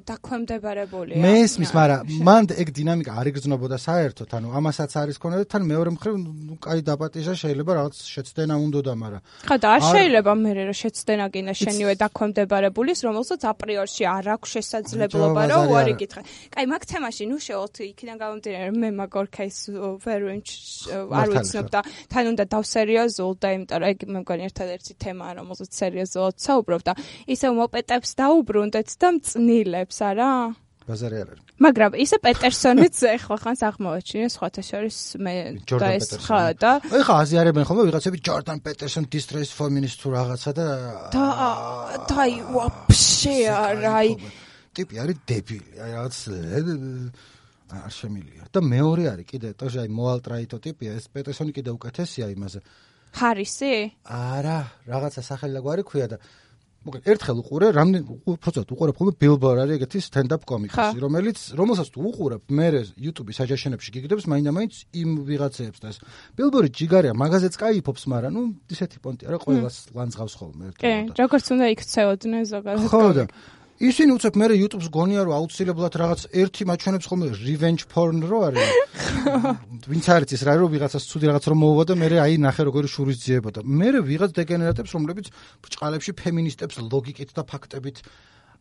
დაქვემდებარებულია მე ისმის მაგრამ მან ეგ დინამიკა არ იგრძნობოდა საერთოდ ანუ ამასაც არის ქონა და თან მეორე მხრივ ნუ კაი დაპატიჟა შეიძლება რაღაც შეცდენა უნდოდა მაგრამ ხა და არ შეიძლება მე რომ შეცდენა გინდა შენივე დაქვემდებარებულის რომელსაც აპრიორში არ აქვს შესაძლებლობა რომ უარი გითხრა კაი მაგ თემაში ნუ შევალთ იქიდან გამომდინარე მე მაგ ორ кейს ვერ არ ვიცნობ და თან უნდა დავსერიოზულ და იმიტომ რომ ეგ მე მგონი ერთადერთი თემაა რომელზეც სერიოზულად საუბრობ და ისევ მოპეტებს დაუბრუნდეთ და მწნილებს არა ბაზარი არ არის მაგრამ ისე პეტერსონიც ეხლა ხანს აღმოაჩინე სხვათა შორის მე და ეს ხა და ეხლა აზიარებენ ხოლმე ვიღაცები ჯორდან პეტერსონ distress feminist თუ რაღაცა და და დაი ვაფშე არა ტიპი არის დებილი აი რაღაც არ შემილია და მეორე არის კიდე ტოჟი აი მოალტრაიტო ტიპია ეს პეტერსონი კიდე უკეთესია იმაზე ჰარისი? არა, რაღაცა სახელი და გვარი ქვია და მოკლედ ერთხელ უყურე, რამდენ უბრალოდ უყურებ ხოლმე ბილბორ არის ეგეთი stand-up კომიკსი, რომელიც რომელსაც თუ უყურებ, მე YouTube-ის აჯაშენებში გიგდებს მაინდა-მაინც იმ ვიღაცებს და ეს ბილბორი ჯიგარია, მაგაზეც кайფობს, მაგრამ ნუ ისეთი პონტი არა, ყველას ლანძღავს ხოლმე კი, ერთად. როგორც უნდა იქცეოდნენ ზოგადად. ხო და ისინი უცებ მე YouTube-ს გონია რომ აუცილებლად რაღაც ერთი მაჩვენებს ხოლმე revenge porn რო არის. ვინც არის ის რა რომ ვიღაცას ცუდი რაღაც რომ მოუვა და მე აი ნახე როგორი შურის ძიება და მე ვიღაც დეგენერატებს რომლებიც ბჭყალებში ფემინისტებს ლოგიკით და ფაქტებით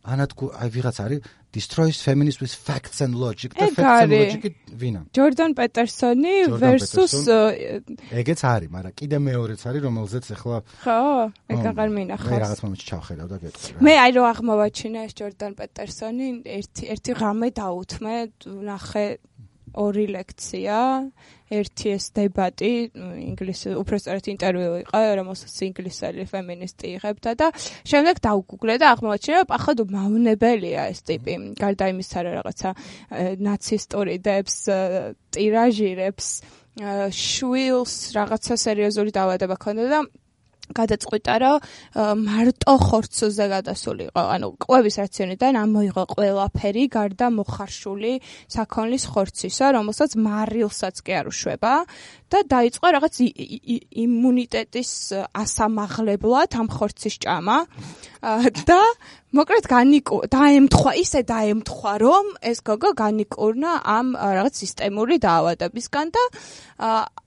ანადგუ აი ვიღაც არის destroys feminists with facts and logic და facts and logic ვინა ჯორდან პეტერსონი versus ეგეც არის მაგრამ კიდე მეორეც არის რომელზეც ახლა ხო ეგ აღარ მინახავს მე რაღაც მომენტში ჩავხედავ და გეტყვი მე აი რომ აღმოვაჩინე ეს ჯორდან პეტერსონი ერთი ერთი ღამე დაუთმე ნახე ორი ლექცია, ერთი ეს დებატი, ინგლისურ, უბრალოდ ინტერვიუ იყო, რომელსაც ინგლისელი ფემინისტი იღებდა და შემდეგ დაუგუგლე და აღმოაჩინა, რომ ახლა მავნებელია ეს ტიპი, გარდა იმისა, რომ რაღაცა ნაცისტური დებს ტირაჟირებს, შვილს რაღაცა სერიოზული დაავადება ჰქონდა და გადაწყვიტა, რომ მარტო ხორცზე გადასული იყო. ანუ კვების რაციონიდან ამოიღო ყველაფერი გარდა მოხარშული საქონლის ხორცისა, რომელსაც მარილსაც კი არ უშვება და დაიწყო რაღაც იმუნიტეტის ასამაღლებლად ამ ხორცის ჭამა და მოკლედ განიკუ დაემთხვა, ისე დაემთხვა, რომ ეს გოგო განიკურნა ამ რაღაც სისტემური დაავადებისგან და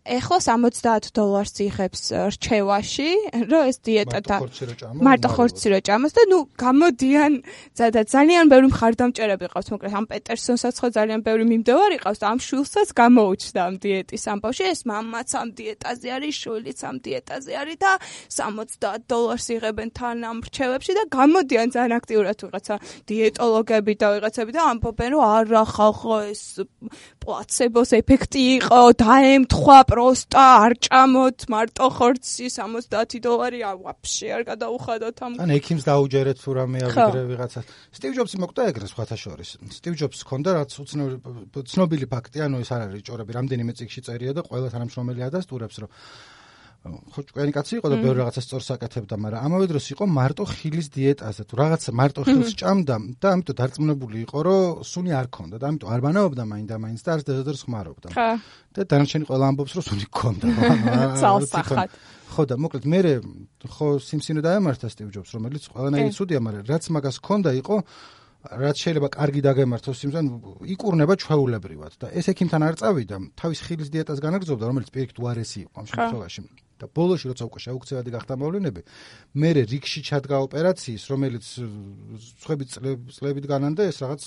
ეხლა სამოცდაათ დოლარს იღებს რჩევაში, რომ ეს დიეტა და მარტო ხორცი რო ჭამოს და ნუ გამოდიან და ძალიან ბევრი მხარდამჭერები ყავს, მოკლედ ამ პეტერსონსაც ხო ძალიან ბევრი მიმდევარი ყავს და ამ შვილსაც გამოუჩნდა ამ დიეტის ამბავში, ეს მამაც ამ დიეტაზე არის, შვილიც ამ დიეტაზე არის და სამოცდაათ დოლარს იღებენ თან ამ რჩევებში და გამოდიან ძალიან აქტიურად ვიღაცა დიეტოლოგები და ვიღაცები და ამბობენ, რომ არა ხალხო ეს პლაცებოს ეფექტი იყო, დაემთხვა პროსტა, არ ჭამოთ მარტო ხორცი სამოცდაათი დოლარი ვაფშე არ გადაუხადოთ ამ. ან ექიმს დაუჯერეთ თუ რამე ავიგრე ვიღაცას. სტივ ჯობსი მოკვდა ეგრე სხვათა შორის. სტივ ჯობსს ჰქონდა რაც უცნობილი ფაქტი, ანუ ეს არ არის ჭორები, რამდენიმე წიგნში წერია და ყველა თანამშრომელი ადასტურებს, რომ ხო ჭკვიანი კაცი იყო და ბევრი რაღაცა სწორს აკეთებდა, მაგრამ ამავე დროს იყო მარტო ხილის დიეტაზე, თუ რაღაცა მარტო ხილს ჭამდა და ამიტომ დარწმუნებული იყო, რომ სუნი არ ქონდა და ამიტომ არ ბანაობდა მაინდა-მაინც და არც დედადერს ხმარობდა. და დანარჩენი ყველა ამბობს, რომ სუნი ქონდა. ცალსახად. ხო და მოკლედ მე ხო სიმსინო დაემართა სტივ ჯობს, რომელიც ყველანაირი ცუდია, მაგრამ რაც მაგას ქონდა იყო რაც შეიძლება კარგი დაგემართოს იმთან იკურნება ჩვეულებრივად და ეს ექიმთან არ წავიდა, თავის ხილის დიეტას განაგრძობდა, რომელიც პირიქით უარესი იყო ამ შემთხვევაში. და ბოლოში როცა უკვე შეუქცევადი გახდა მოვლენები, მე რიგში ჩადგა ოპერაციის, რომელიც სხვები წლებით განანდა ეს რაღაც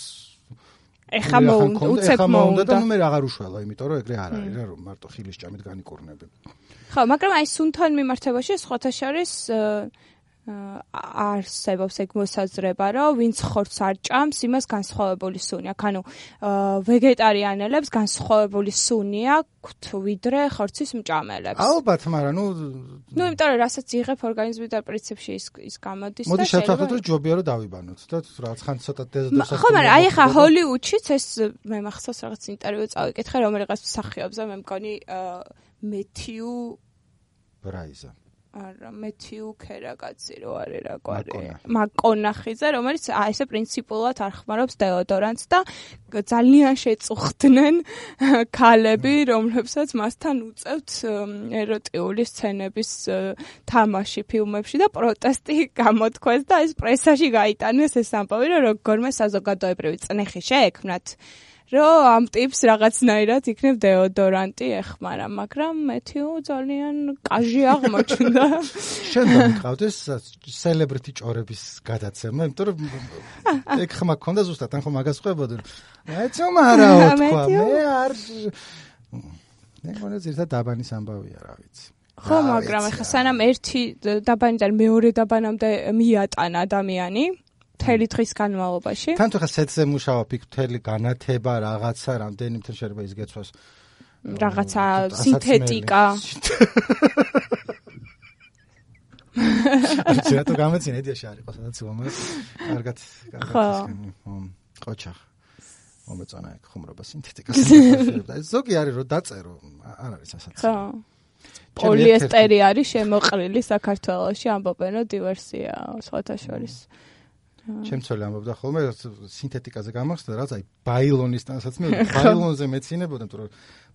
ეხა მოუნდა, უცებ მოუნდა და ნუ მე აღარ უშველა, იმიტომ რომ ეგრე არ არის რა, რომ მარტო ხილის ჭამით განიკურნები. ხო, მაგრამ აი სუნთან მიმართებაში სხვათა შორის არსებობს ეგ მოსაზრება, რომ ვინც ხორცს არ ჭამს, იმას განსხვავებული სუნი აქვს. ანუ ვეგეტარიანელებს განსხვავებული სუნი აქვთ ვიდრე ხორცის მჭამელებს. ალბათ, მაგრამ ნუ ნუ იმიტომ რომ რასაც იღებ ორგანიზმიდან პრინციპში ის ის გამოდის და მოდი შევთანხმდეთ, რომ ჯობია რომ დავიბანოთ და რაღაც ხან ცოტა დეზოდორს. ხო, მაგრამ აი ხა ჰოლივუდშიც ეს მე მახსოვს რაღაც ინტერვიუ წავიკითხე, რომელიღაც მსახიობზე, მე მგონი მეთიუ ბრაიზა არა მეთიუ ქერაკაცი რო არის რა კვარი მაკონახიძე რომელიც აი ესე პრინციპულად არ ხმარობს დეოდორანტს და ძალიან შეწუხდნენ ქალები რომლებსაც მასთან უწევთ ეროტიული სცენების თამაში ფილმებში და პროტესტი გამოთქვეს და ეს პრესაში გაიტანეს ეს ამბავი რომ როგორმე საზოგადოებრივი წნეხი შეექმნათ რომ ამ ტიპს რაღაცნაირად იქნებ დეოდორანტი ეხმარა, მაგრამ მეთიუ ძალიან კაჟი აღმოჩნდა. შენ დამიყავდეს სელებრიტი ჭორების გადაცემა, იმიტომ რომ ეგ ხმა გქონდა ზუსტად, ან ხო მაგას ხვებოდი. ეცო მარაო თქვა, მე არ მე მგონი ზირთა დაბანის ამბავია, რა ვიცი. ხო, მაგრამ ეხა სანამ ერთი დაბანიდან მეორე დაბანამდე მიატანა ადამიანი მთელი დღის განმავლობაში. თან თუ ხა სეტზე მუშაობ, იქ მთელი განათება, რაღაცა, რამდენი მთელი შეიძლება ის გეცვას. რაღაცა სინთეტიკა. არც რატო გამეცინე ედიაში არის ყო სადაც ვამე. კარგად, კარგად. ყოჩახ. მომეწონა ეგ ხუმრობა სინთეტიკას. ზოგი არის რომ დაწერო, არ არის ასაცი. ხო. პოლიესტერი არის შემოყრილი საქართველოში, ამბობენ რომ დივერსია სხვათა შორის. ჩემცოლი ამბობდა ხოლმე სინთეტიკაზე გამახსდა რაც აი ბაილონისთანაც მე ბაილონზე მეცინებოდა იმიტომ რომ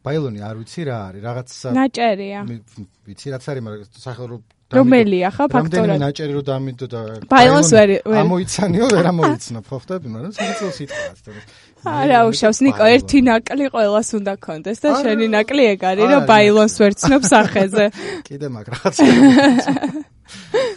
ბაილონი არ ვიცი რა არის რაღაცა ნაჭერია ვიცი რაც არის მაგრამ სახელო რომელია ხა ფაქტორად რამდენიმე ნაჭერი რომ დამიდო და ბაილონს ვერ ამოიცანიო ვერ ამოიცნა ხო ხტები მაგრამ საერთოდ სიტყვაა არა უშავს ნიკო ერთი ნაკლი ყოველას უნდა კონდეს და შენი ნაკლი ეგ არის რომ ბაილონს ვერ ცნობ სახეზე კიდე მაგ რაღაცა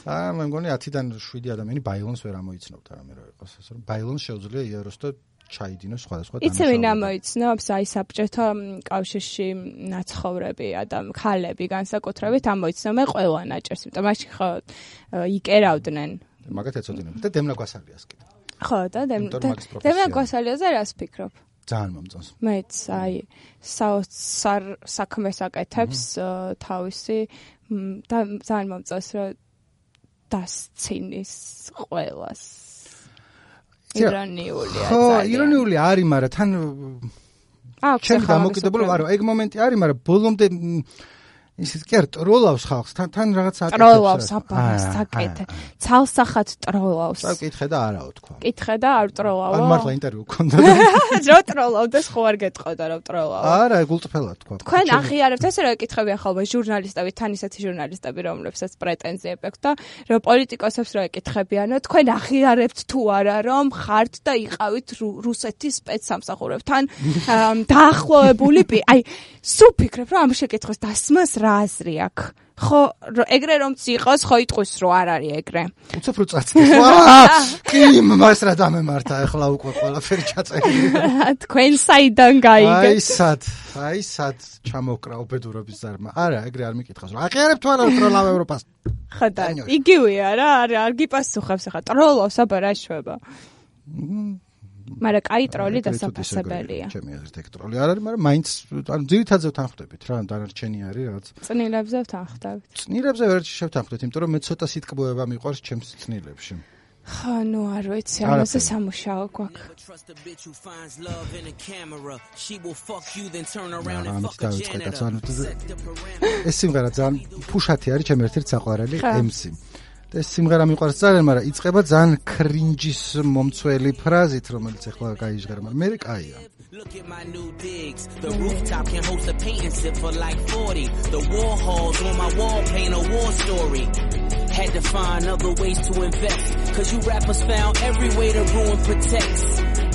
აა მე მგონი ათიდან შვიდი ადამიანი ბაილონს ვერ ამოიცნობდა რამე რა იყოს ასე რომ ბაილონს შეუძლია იაროს და ჩაიდინოს სხვადასხვა დანაშაულები. იცი ვინ ამოიცნობს აი საბჭოთა კავშირში ნაცხოვრები ადამ ქალები განსაკუთრებით ამოიცნობენ ყველა ნაჭერს იმიტომ მაშინ ხო იკერავდნენ მაგათ ეცოდინებთ და დემნა გვასალიას კიდე ხო და დემნა გვასალიაზე რას ფიქრობ ძალიან მომწონს. მეც აი საოცარ საქმეს აკეთებს თავისი და ძალიან მომწონს რომ დასცინის ყველას. ირონიულია ხო, ირონიული არის, მაგრამ თან ჩემ დამოკიდებული ვარო, ეგ მომენტი არის, მაგრამ ბოლომდე ისიც კი არ ტროლავს ხალხს, თან თან რაღაც აკეთებს. ტროლავს აბას საკეთე. ცალსახად ტროლავს. საკითხე და არაო თქვა. კითხე და არ ტროლავო. ან მართლა ინტერვიუ გქონდა. რო ტროლავდეს ხო არ გეტყოდა რომ ტროლავო. არა, გულწრფელად თქვა. თქვენ აღიარებთ ესე რომ ეკითხებიან ხოლმე ჟურნალისტები, თან ისეთი ჟურნალისტები, რომლებსაც პრეტენზიები აქვს და რომ პოლიტიკოსებს რო ეკითხებიანო, თქვენ აღიარებთ თუ არა რომ ხართ და იყავით რუსეთის სპეცსამსახურებთან დაახლოებული, აი სულ ფიქრებ რომ ამ შეკითხვის დასმას რა აზრი აქვს? ხო, ეგრე რომც იყოს, ხო იტყვის რომ არ არის ეგრე. უცებ რო წაცდეს. კი, მას რა დამემართა, ახლა უკვე ყველაფერი ჩაწერილია. თქვენ საიდან გაიგეთ? აი სად, აი სად ჩამოკრა უბედურობის ზარმა. არა, ეგრე არ მიკითხავს. აღიარებთ თუ არა ტროლავ ევროპას? ხო და იგივეა რა, არ არ გიპასუხებს ახლა. ტროლავს აბა რა შვება. მაგრამ კაი ტროლი დასაფასებელია. ჩემი აზრით ეგ ტროლი არ არის, მაგრამ მაინც ანუ ძირითადზე ვთანხმდებით რა, დანარჩენი არის რაღაც. წნილებზე ვთანხმდებით. წნილებზე ვერჩი შევთანხმდით, იმიტომ რომ მე ცოტა სიტყვება მიყვარს ჩემს წნილებში. ხო, ნუ არ ვიცი, ამაზე სამუშაო გვაქვს. ეს სიმღერა ძალიან ფუშათი არის, ჩემი ერთ-ერთი საყვარელი ემ სი. ეს სიმღერა მიყვარს ძალიან, მაგრამ იწყება ძალიან კრინჯის მომცველი ფრაზით, რომელიც ახლა გაიჟღერა, მაგრამ მე კაია. Look at my new digs. The rooftop can host a painting sip for like forty. The war halls on my wall paint a war story. Had to find other ways to invest. Cause you rappers found every way to ruin protects.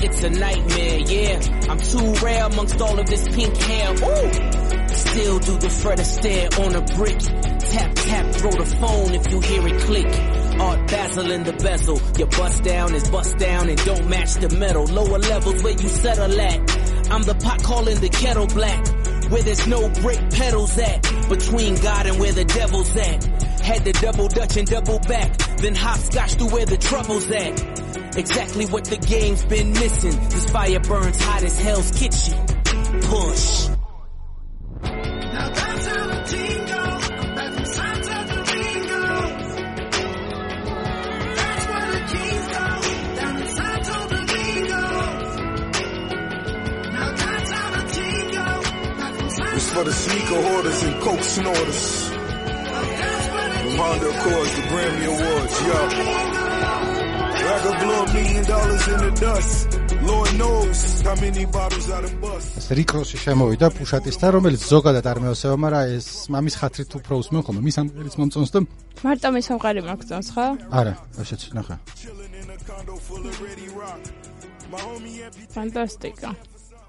It's a nightmare, yeah. I'm too rare amongst all of this pink hair. Ooh! Still do the Fred Astaire on a brick. Tap, tap, throw the phone if you hear it click. Art Basel in the bezel. Your bust down is bust down and don't match the metal. Lower levels where you settle at. I'm the pot calling the kettle black. Where there's no brake pedals at. Between God and where the devil's at. Had to double dutch and double back. Then hopscotch to where the trouble's at. Exactly what the game's been missing. This fire burns hot as Hell's Kitchen. Push. For the sneaker hoarders and coke snorters. From Honda Accords to Grammy Awards, yo. I could blow a million dollars in the dust. Lord knows how many bottles out of bus. რიკ როსი შემოვიდა პუშატისთან, რომელიც ზოგადად არ მეოსება, მაგრამ ეს მამის ხათრით უფრო უსმენ ხოლმე. მის ამერიც მომწონს და მარტო მის სამყარო მოგწონს, ხო? არა, ასეც ნახე. ფანტასტიკა.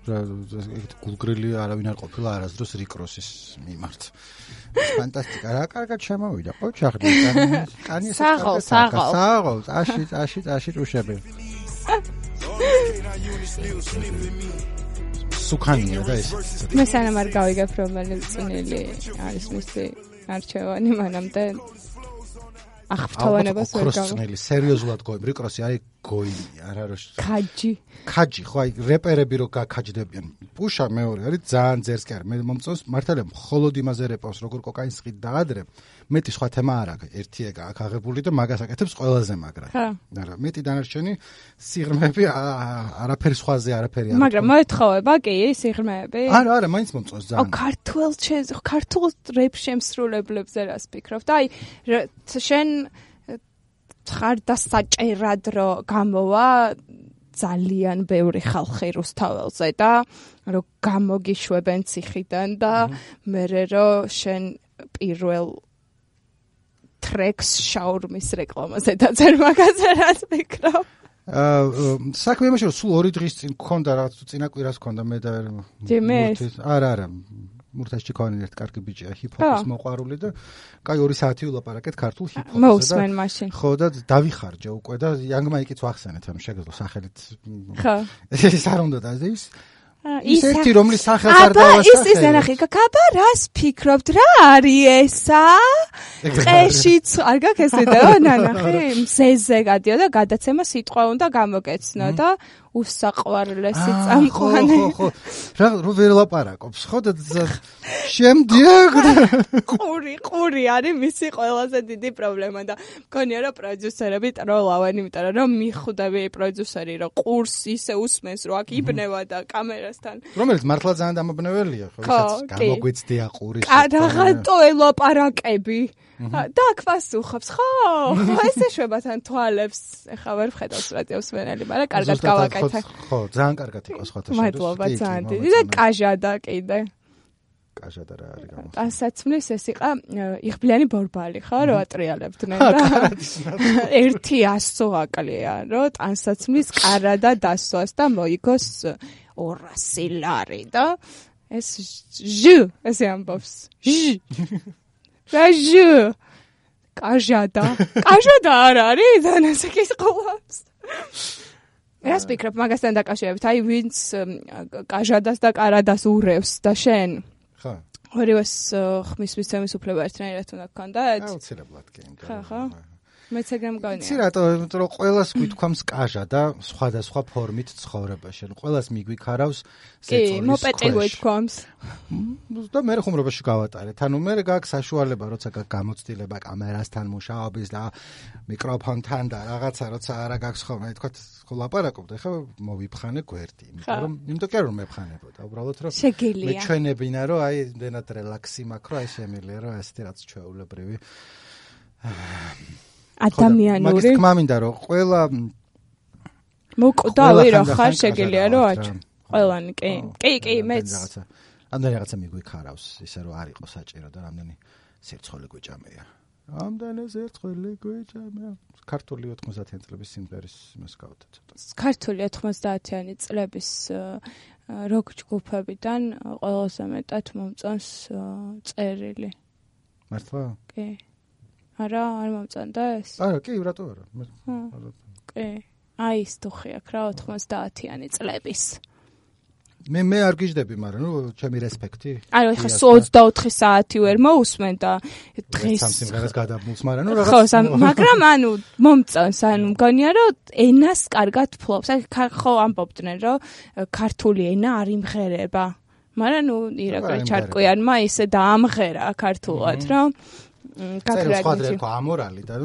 ეგეთ გულგრილი არავინ არ ყოფილა არასდროს რიკ როსის მიმართ. ფანტასტიკა, რა კარგად შემოვიდა. ხო, ჩახდი. კანი ეს საღოლ, საღოლ. საღოლ, აში, აში, აში უშები. სუქანია და ეს. მე სანამ არ გავიგებ რომელი წნილი არის მისი არჩევანი, მანამდე აღფრთოვანებას ვერ გავიგებ. კროსწნილი, სერიოზულად გოიმ, რიკ როსი აი გოიმი, არა რა. ქაჯი. ქაჯი, ხო აი რეპერები რო გაქაჯდებიან. პუშა მეორე არის ძალიან ძერს კი არის. მე მომწონს მართალია მხოლოდ იმაზე რეპავს, როგორ კოკაინს ხით დაადრე. მეტი სხვა თემა არ აქვს. ერთი ეგა აქ აღებული და მაგას აკეთებს ყველაზე მაგრად. არა, მეტი დანარჩენი სიღრმეები არაფერი სხვაზე არაფერი არ. მაგრამ მოეთხოვება კი სიღრმეები? არა, არა, მაინც მომწონს ძალიან. აუ ქართულ ქართულ რეპ შემსრულებლებზე რას ფიქრობ? და აი შენ ხარ და საჭერად რო გამოვა ძალიან ბევრი ხალხი რუსთაველზე და რო გამოგიშვებენ ციხიდან და მერე რო შენ პირველ ტრეკს შაურმის რეკლამაზე დაძერ მაგაზე რას ფიქრობ? აა საქმე იმაში რომ სულ ორი დღის წინ გქონდა რაღაც წინა კვირას გქონდა მე და არა არა მურთაშ ჩიქოვანი ერთ კარგი ბიჭია ჰიპ-ჰოპის მოყვარული და კაი ორი საათი ვილაპარაკეთ ქართულ ჰიპ-ჰოპზე და მოусმენ მაშინ ხო და დავიხარჯე უკვე და იანგ მაიკიც ვახსენეთ ამ შეგეძლო სახელით ხო ეს არ უნდა და ის ის ერთი რომლის სახელს არ დავასახელე. აბა ის ის ნახე, კაბა რას ფიქრობთ რა არის ესა? წეშიც არ გაქვს ესე და ნანახი, მზეზე გადიოდა გადაცემა სიტყვა უნდა გამოგეცნო და უსაყვარლესი წამყვანი. ხო, ხო, რა რო ვერ ლაპარაკობს, ხო და შემდგ ყური, ყური არის მისი ყველაზე დიდი პრობლემა და მგონია რომ პროდიუსერები ტროლავენ, იმიტომ რომ მიხვდები პროდიუსერი რომ ყურს ისე usmens რომ აქ იბნევა და კამერასთან. რომელიც მართლა ძალიან დამაბნეველია, ხო, ვისაც გამოგვეცდია ყურის. რაღაცო ელაპარაკები. და აქ პასუხობს, ხო? ესე შვებათან თვალებს, ეხა ვერ ვხედავს რადიოს მენელი, მაგრამ კარგად გავაკეთე. ხო, ძალიან კარგად იყო სხვათა შორის. მადლობა ძალიან დიდი და კაჟადა კიდე. კაჟადა რა არის გამო. ტანსაცმლის ეს იყო იღბლიანი ბორბალი, ხო, რო ატრიალებდნენ და ერთი ასო აკლია, რომ ტანსაცმლის კარადა დასვას და მოიგოს ორასი ლარი და ეს ჟ ესე ამბობს. ჟ რაჟუ კაჟადა კაჟადა არ არის დანასაკის ყოლავს რას ფიქრობ მაგასთან დაკავშირებით აი ვინც კაჟადას და კარადას ურევს და შენ ხო ორივეს ხმის მისცემის უფლება ერთნაირად უნდა გქონდეთ აუცილებლად კი ხო ხო მეც ეგრე მგონია. იცი რატო, იმიტომ რომ ყველას გვითქვამს კაჟა და სხვადასხვა ფორმით ცხოვრებაში. ყველას მიგვიქარავს ზეწოლის. კი, მოპეტი გვითქვამს. და მე ხუმრობაში გავატარეთ. ანუ მე გაქვს საშუალება, როცა გაქვს გამოცდილება კამერასთან მუშაობის და მიკროფონთან და რაღაცა, როცა არა გაქვს ხოლმე, თქვა, ხო ლაპარაკობ და ხა მოვიფხანე გვერდი. იმიტომ რომ იმიტომ კი არ რომ მეფხანებოდა, უბრალოდ რომ შეგიძლია. მეჩვენებინა, რომ აი დენად რელაქსი მაქვს, რომ აი შემიძლია, რომ ესეთი რაც ჩვეულებრივი ადამიანური მაგის თქმა მინდა რომ ყველა მოკვდავი რა ხარ შეგელია რომ აჩ ყველანი კი კი კი მეც ამდენი რაღაცა მიგვიქარავს ისე რომ არ იყო საჭირო და რამდენი სერცხოლი გვეჭამეა ამდენი სერცხოლი გვეჭამეა ქართული ოთხმოცდაათიანი წლების სიმღერის იმას გავთ ცოტა ქართული ოთხმოცდაათიანი წლების როკ ჯგუფებიდან ყველაზე მეტად მომწონს წერილი მართლა კი არა, არ მომწონდა ეს? არა, კი, რატო არა? კი. აი ის დუხი აქ რა ოთხმოცდაათიანი წლების. მე მე არ გიждები, მაგრამ ნუ ჩემი რესპექტი. არა, ეხა ოცდაოთხი საათი ვერ მოусმენ და დღეს სამსიმღერას გადაბმულს, მაგრამ ნუ რაღაც ხო, მაგრამ ანუ მომწონს, ანუ მგონია რომ ენას კარგად ფლობს. აი ხო ამბობდნენ რომ ქართული ენა არ იმღერება. მაგრამ ნუ ირაკლი ჩარკვიანმა ისე დაამღერა ქართულად, რომ წერილს ხადრე თქვა ამორალი და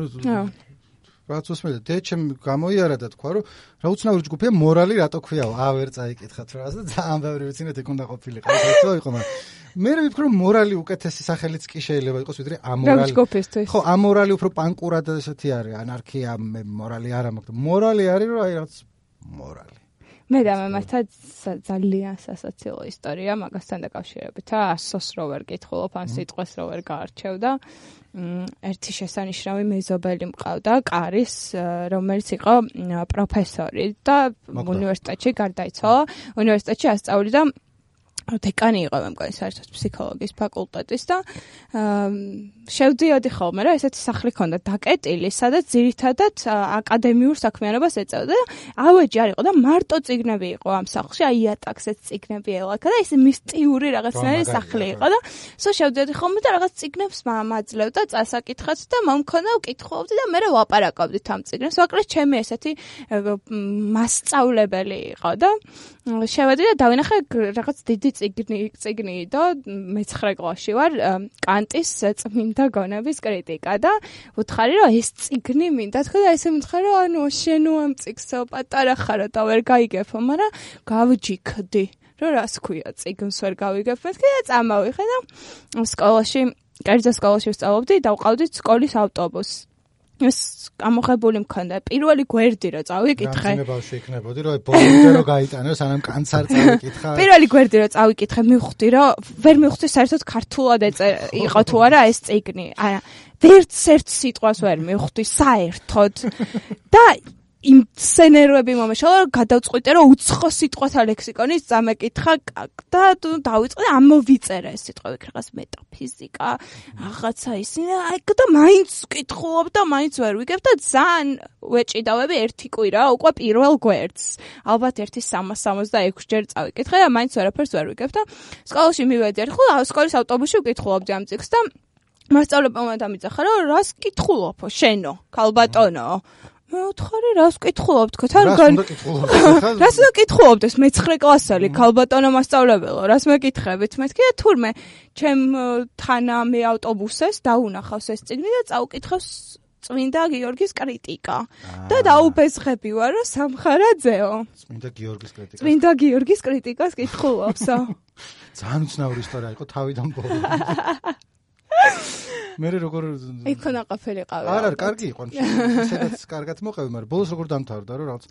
რაც უსმენდა დეჩემ გამოიარა და თქვა რომ რა უცნაური ჯგუფია მორალი რატო ქვიაო ავერ წაიკითხათ რა და ძალიან ბევრი ვიცინეთ ეგ უნდა ყოფილიყო ეს იყო მაგრამ მე ვიფიქრე რომ მორალი უკეთესი სახელიც კი შეიძლება იყოს ვიდრე ამორალი ხო ამორალი უფრო პანკურად ესეთი არის ანარქია მორალი არა მაგრამ მორალი არის რომ აი რაც მორალი მე და მემართა ძალიან სასაცილო ისტორია მაგასთან დაკავშირებით. ასოს რო ვერ გითხულობ, ან სიტყვას რო ვერ გაარჩევ და ერთი შესანიშნავი მეზობელი მყავდა, კარის, რომელიც იყო პროფესორი და უნივერსიტეტში გარდაიცვალა. უნივერსიტეტში ასწავლიდა დეკანი იყო მე მგონი საერთოდ ფსიქოლოგიის ფაკულტეტის და შევდიოდი ხოლმე რა ესეთი სახლი ქონდა დაკეტილი სადაც ძირითადად აკადემიურ საქმიანობას ეწეოდა და ავეჯი არ იყო და მარტო წიგნები იყო ამ სახლში აი ატაქსეთ წიგნები ელაქა და ეს მისტიური რაღაცნაირი სახლი იყო და სულ შევდიოდი ხოლმე და რაღაც წიგნებს მაძლევ და წასაკითხოთ და მომქონდა ვკითხულობდი და მე ვაპარაკობდით ამ წიგნებს ვაკრეს ჩემი ესეთი მასწავლებელი იყო და შევედი და დავინახე რაღაც დიდი წიგნი წიგნი და მეცხრე კლასში ვარ კანტის წმინდა გონების კრიტიკა და ვუთხარი რომ ეს წიგნი მინდა თქვა და ესე მითხრა რომ ანუ შენო ამ წიგსო პატარა ხარო და ვერ გაიგებო მაგრამ გავჯიქდი რომ რას ქვია წიგნს ვერ გავიგებ მეთქე და წამავიხე და სკოლაში კერძო სკოლაში ვსწავლობდი და ვყავდით სკოლის ავტობუსს ეს გამოხებული მქონდა პირველი გვერდი რა წავიკითხე. რა ბავშვი იქნებოდი რომ ბოლომდე რომ გაიტანო სანამ კანც არ წავიკითხა. პირველი გვერდი რომ წავიკითხე მივხვდი რომ ვერ მივხვდი საერთოდ ქართულად იყო თუ არა ეს წიგნი. არა ვერც ერთ სიტყვას ვერ მივხვდი საერთოდ და იმ ასე ნერვები მომეშალა, რომ გადავწყვიტე, რომ უცხო სიტყვათა ლექსიკონის წამეკითხა და დავიწყე ამოვიწერა ეს სიტყვები, რაღაც მეტაფიზიკა, რაღაცა ისინი, აი და მაინც ვკითხულობ და მაინც ვერ ვიგებ და ძალიან ვეჭიდავები ერთი კვირა უკვე პირველ გვერდს. ალბათ ერთი სამას სამოცდაექვსი ჯერ წავიკითხე და მაინც ვერაფერს ვერ ვიგებ და სკოლაში მივედიარ, ხო, სკოლის ავტობუსში ვკითხულობდი ამ წიგნს და მასწავლებელმა დამიძახა, რომ რას კითხულობო, შენო, ქალბატონო. მე ვთხარი, რას ვკითხულობ, თქო, თან გან რას ვკითხულობდეს, მეცხრე კლასელი, ქალბატონო მასწავლებელო, რას მეკითხებით, მეთქი და თურმე, ჩემ თანა მე ავტობუსეს დაუნახავს ეს წიგნი და წავკითხავს წმინდა გიორგის კრიტიკა. და დაუბეზღები ვარ, რომ სამხარაძეო. წმინდა გიორგის კრიტიკა. წმინდა გიორგის კრიტიკას კითხულობსო. ძალიან უცნაური ისტორია იყო თავიდან ბოლომდე. მე როგორ იქონა ყოფილი ყავი. არ არ, კარგი იყო. სადაც კარგად მოყევი, მაგრამ ბოლოს როგორ დამთავრდა, რომ რაღაც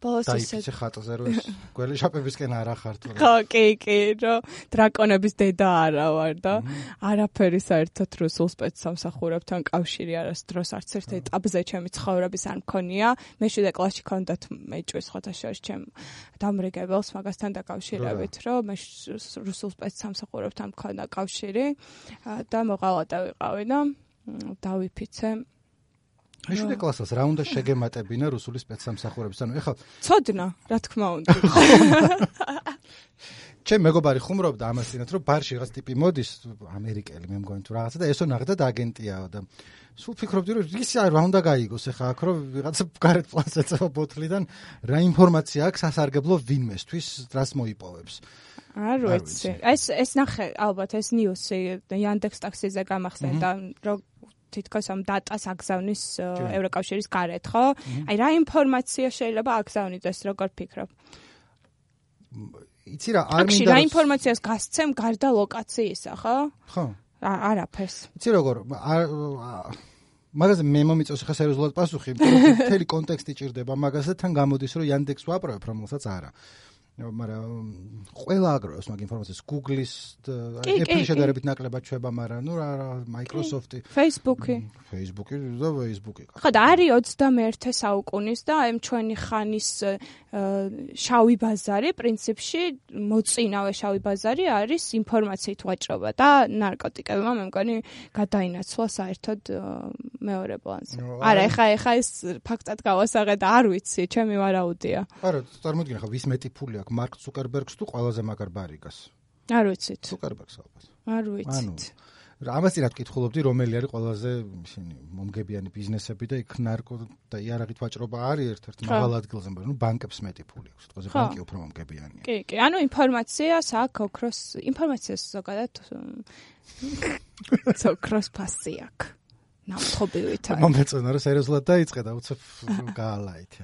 ბოლოს ისე ხატზე რომ ეს გველი შაპებისკენ არა ხარ თუ. ხო, კი, კი, რომ დრაკონების დედა არა ვარ და არაფერი საერთოდ რუსულ სპეცსამსახურებთან კავშირი არასდროს არც ერთ ეტაპზე ჩემი ცხოვრების არ მქონია. მე შვიდე კლასში ქონდათ მეჭვის ხოთაშორის ჩემ დამრიგებელს მაგასთან დაკავშირებით, რომ მე რუსულ სპეცსამსახურებთან მქონდა კავშირი და მოღალატე ვიყავი და დავიფიცე. მე შვიდე კლასას რა უნდა შეგემატებინა რუსული სპეცსამსახურების? ანუ ეხლა ცოდნა, რა თქმა უნდა. ჩემ მეგობარი ხუმრობდა ამას წინათ, რომ ბარში რაღაც ტიპი მოდის, ამერიკელი მე მგონი თუ რაღაცა და ესო ნახდა აგენტიაო და სულ ფიქრობდი, რომ ისი რა უნდა გაიგოს ეხლა აქ, რომ ვიღაცა გარეთ პლანს ეწევა ბოთლიდან, რა ინფორმაცია აქვს სასარგებლო ვინმესთვის, რას მოიპოვებს. არ ვიცი. ეს ეს ნახე, ალბათ ეს ნიუსი Yandex taxi-ზე გამახსენდა, რომ თითქოს ამ დატას აგზავნის ევროკავშირის გარეთ, ხო? აი რა ინფორმაცია შეიძლება აგზავნიდეს, როგორ ფიქრობ? იცი რა, არ მინდა რა ინფორმაციას გასცემ გარდა ლოკაციისა, ხო? ხო. არაფერს. იცი როგორ, მაგაზე მე მომიწევს ხა სერიოზულად პასუხი, მთელი კონტექსტი ჭირდება მაგაზე, თან გამოდის, რომ Yandex ვაპროვებ, რომელსაც არა. მაგრამ ყველა აგროვებს მაგ ინფორმაციას Google-ის Apple-ის შედარებით ნაკლებად ჩვება, მაგრამ ნუ რა Microsoft-ი, Facebook-ი, Facebook-ი და Facebook-ი. ხო და არის ოცდამეერთე საუკუნის და ამ ჩვენი ხანის შავი ბაზარი, პრინციპში მოწინავე შავი ბაზარი არის ინფორმაციით ვაჭრობა და ნარკოტიკებმა მე მგონი გადაინაცვლა საერთოდ მეორე პლანზე. არა, ეხა ეხა ეს ფაქტად გავასაღე და არ ვიცი, ჩემი ვარაუდია. არა, წარმოიდგინე ხა ვის მეტი ფული აქვს მარკ ზუკერბერგს თუ ყველაზე მაგარ ბარიკას. არ ვიცით. ზუკერბერგს ალბათ. არ ვიცით. ამას წინათ კითხულობდი, რომელი არის ყველაზე ისინი მომგებიანი ბიზნესები და იქ ნარკო და იარაღით ვაჭრობა არის ერთ-ერთი მაღალ ადგილზე, მაგრამ ნუ ბანკებს მეტი ფული აქვს. თქო, ბანკი უფრო მომგებიანია. კი, კი. ანუ ინფორმაციას აქვს ოქროს, ინფორმაციას ზოგადად ოქროს ფასი აქვს. ნავთობივითაა. მომეწონა რომ სერიოზულად დაიწყე და უცებ გაალაითე.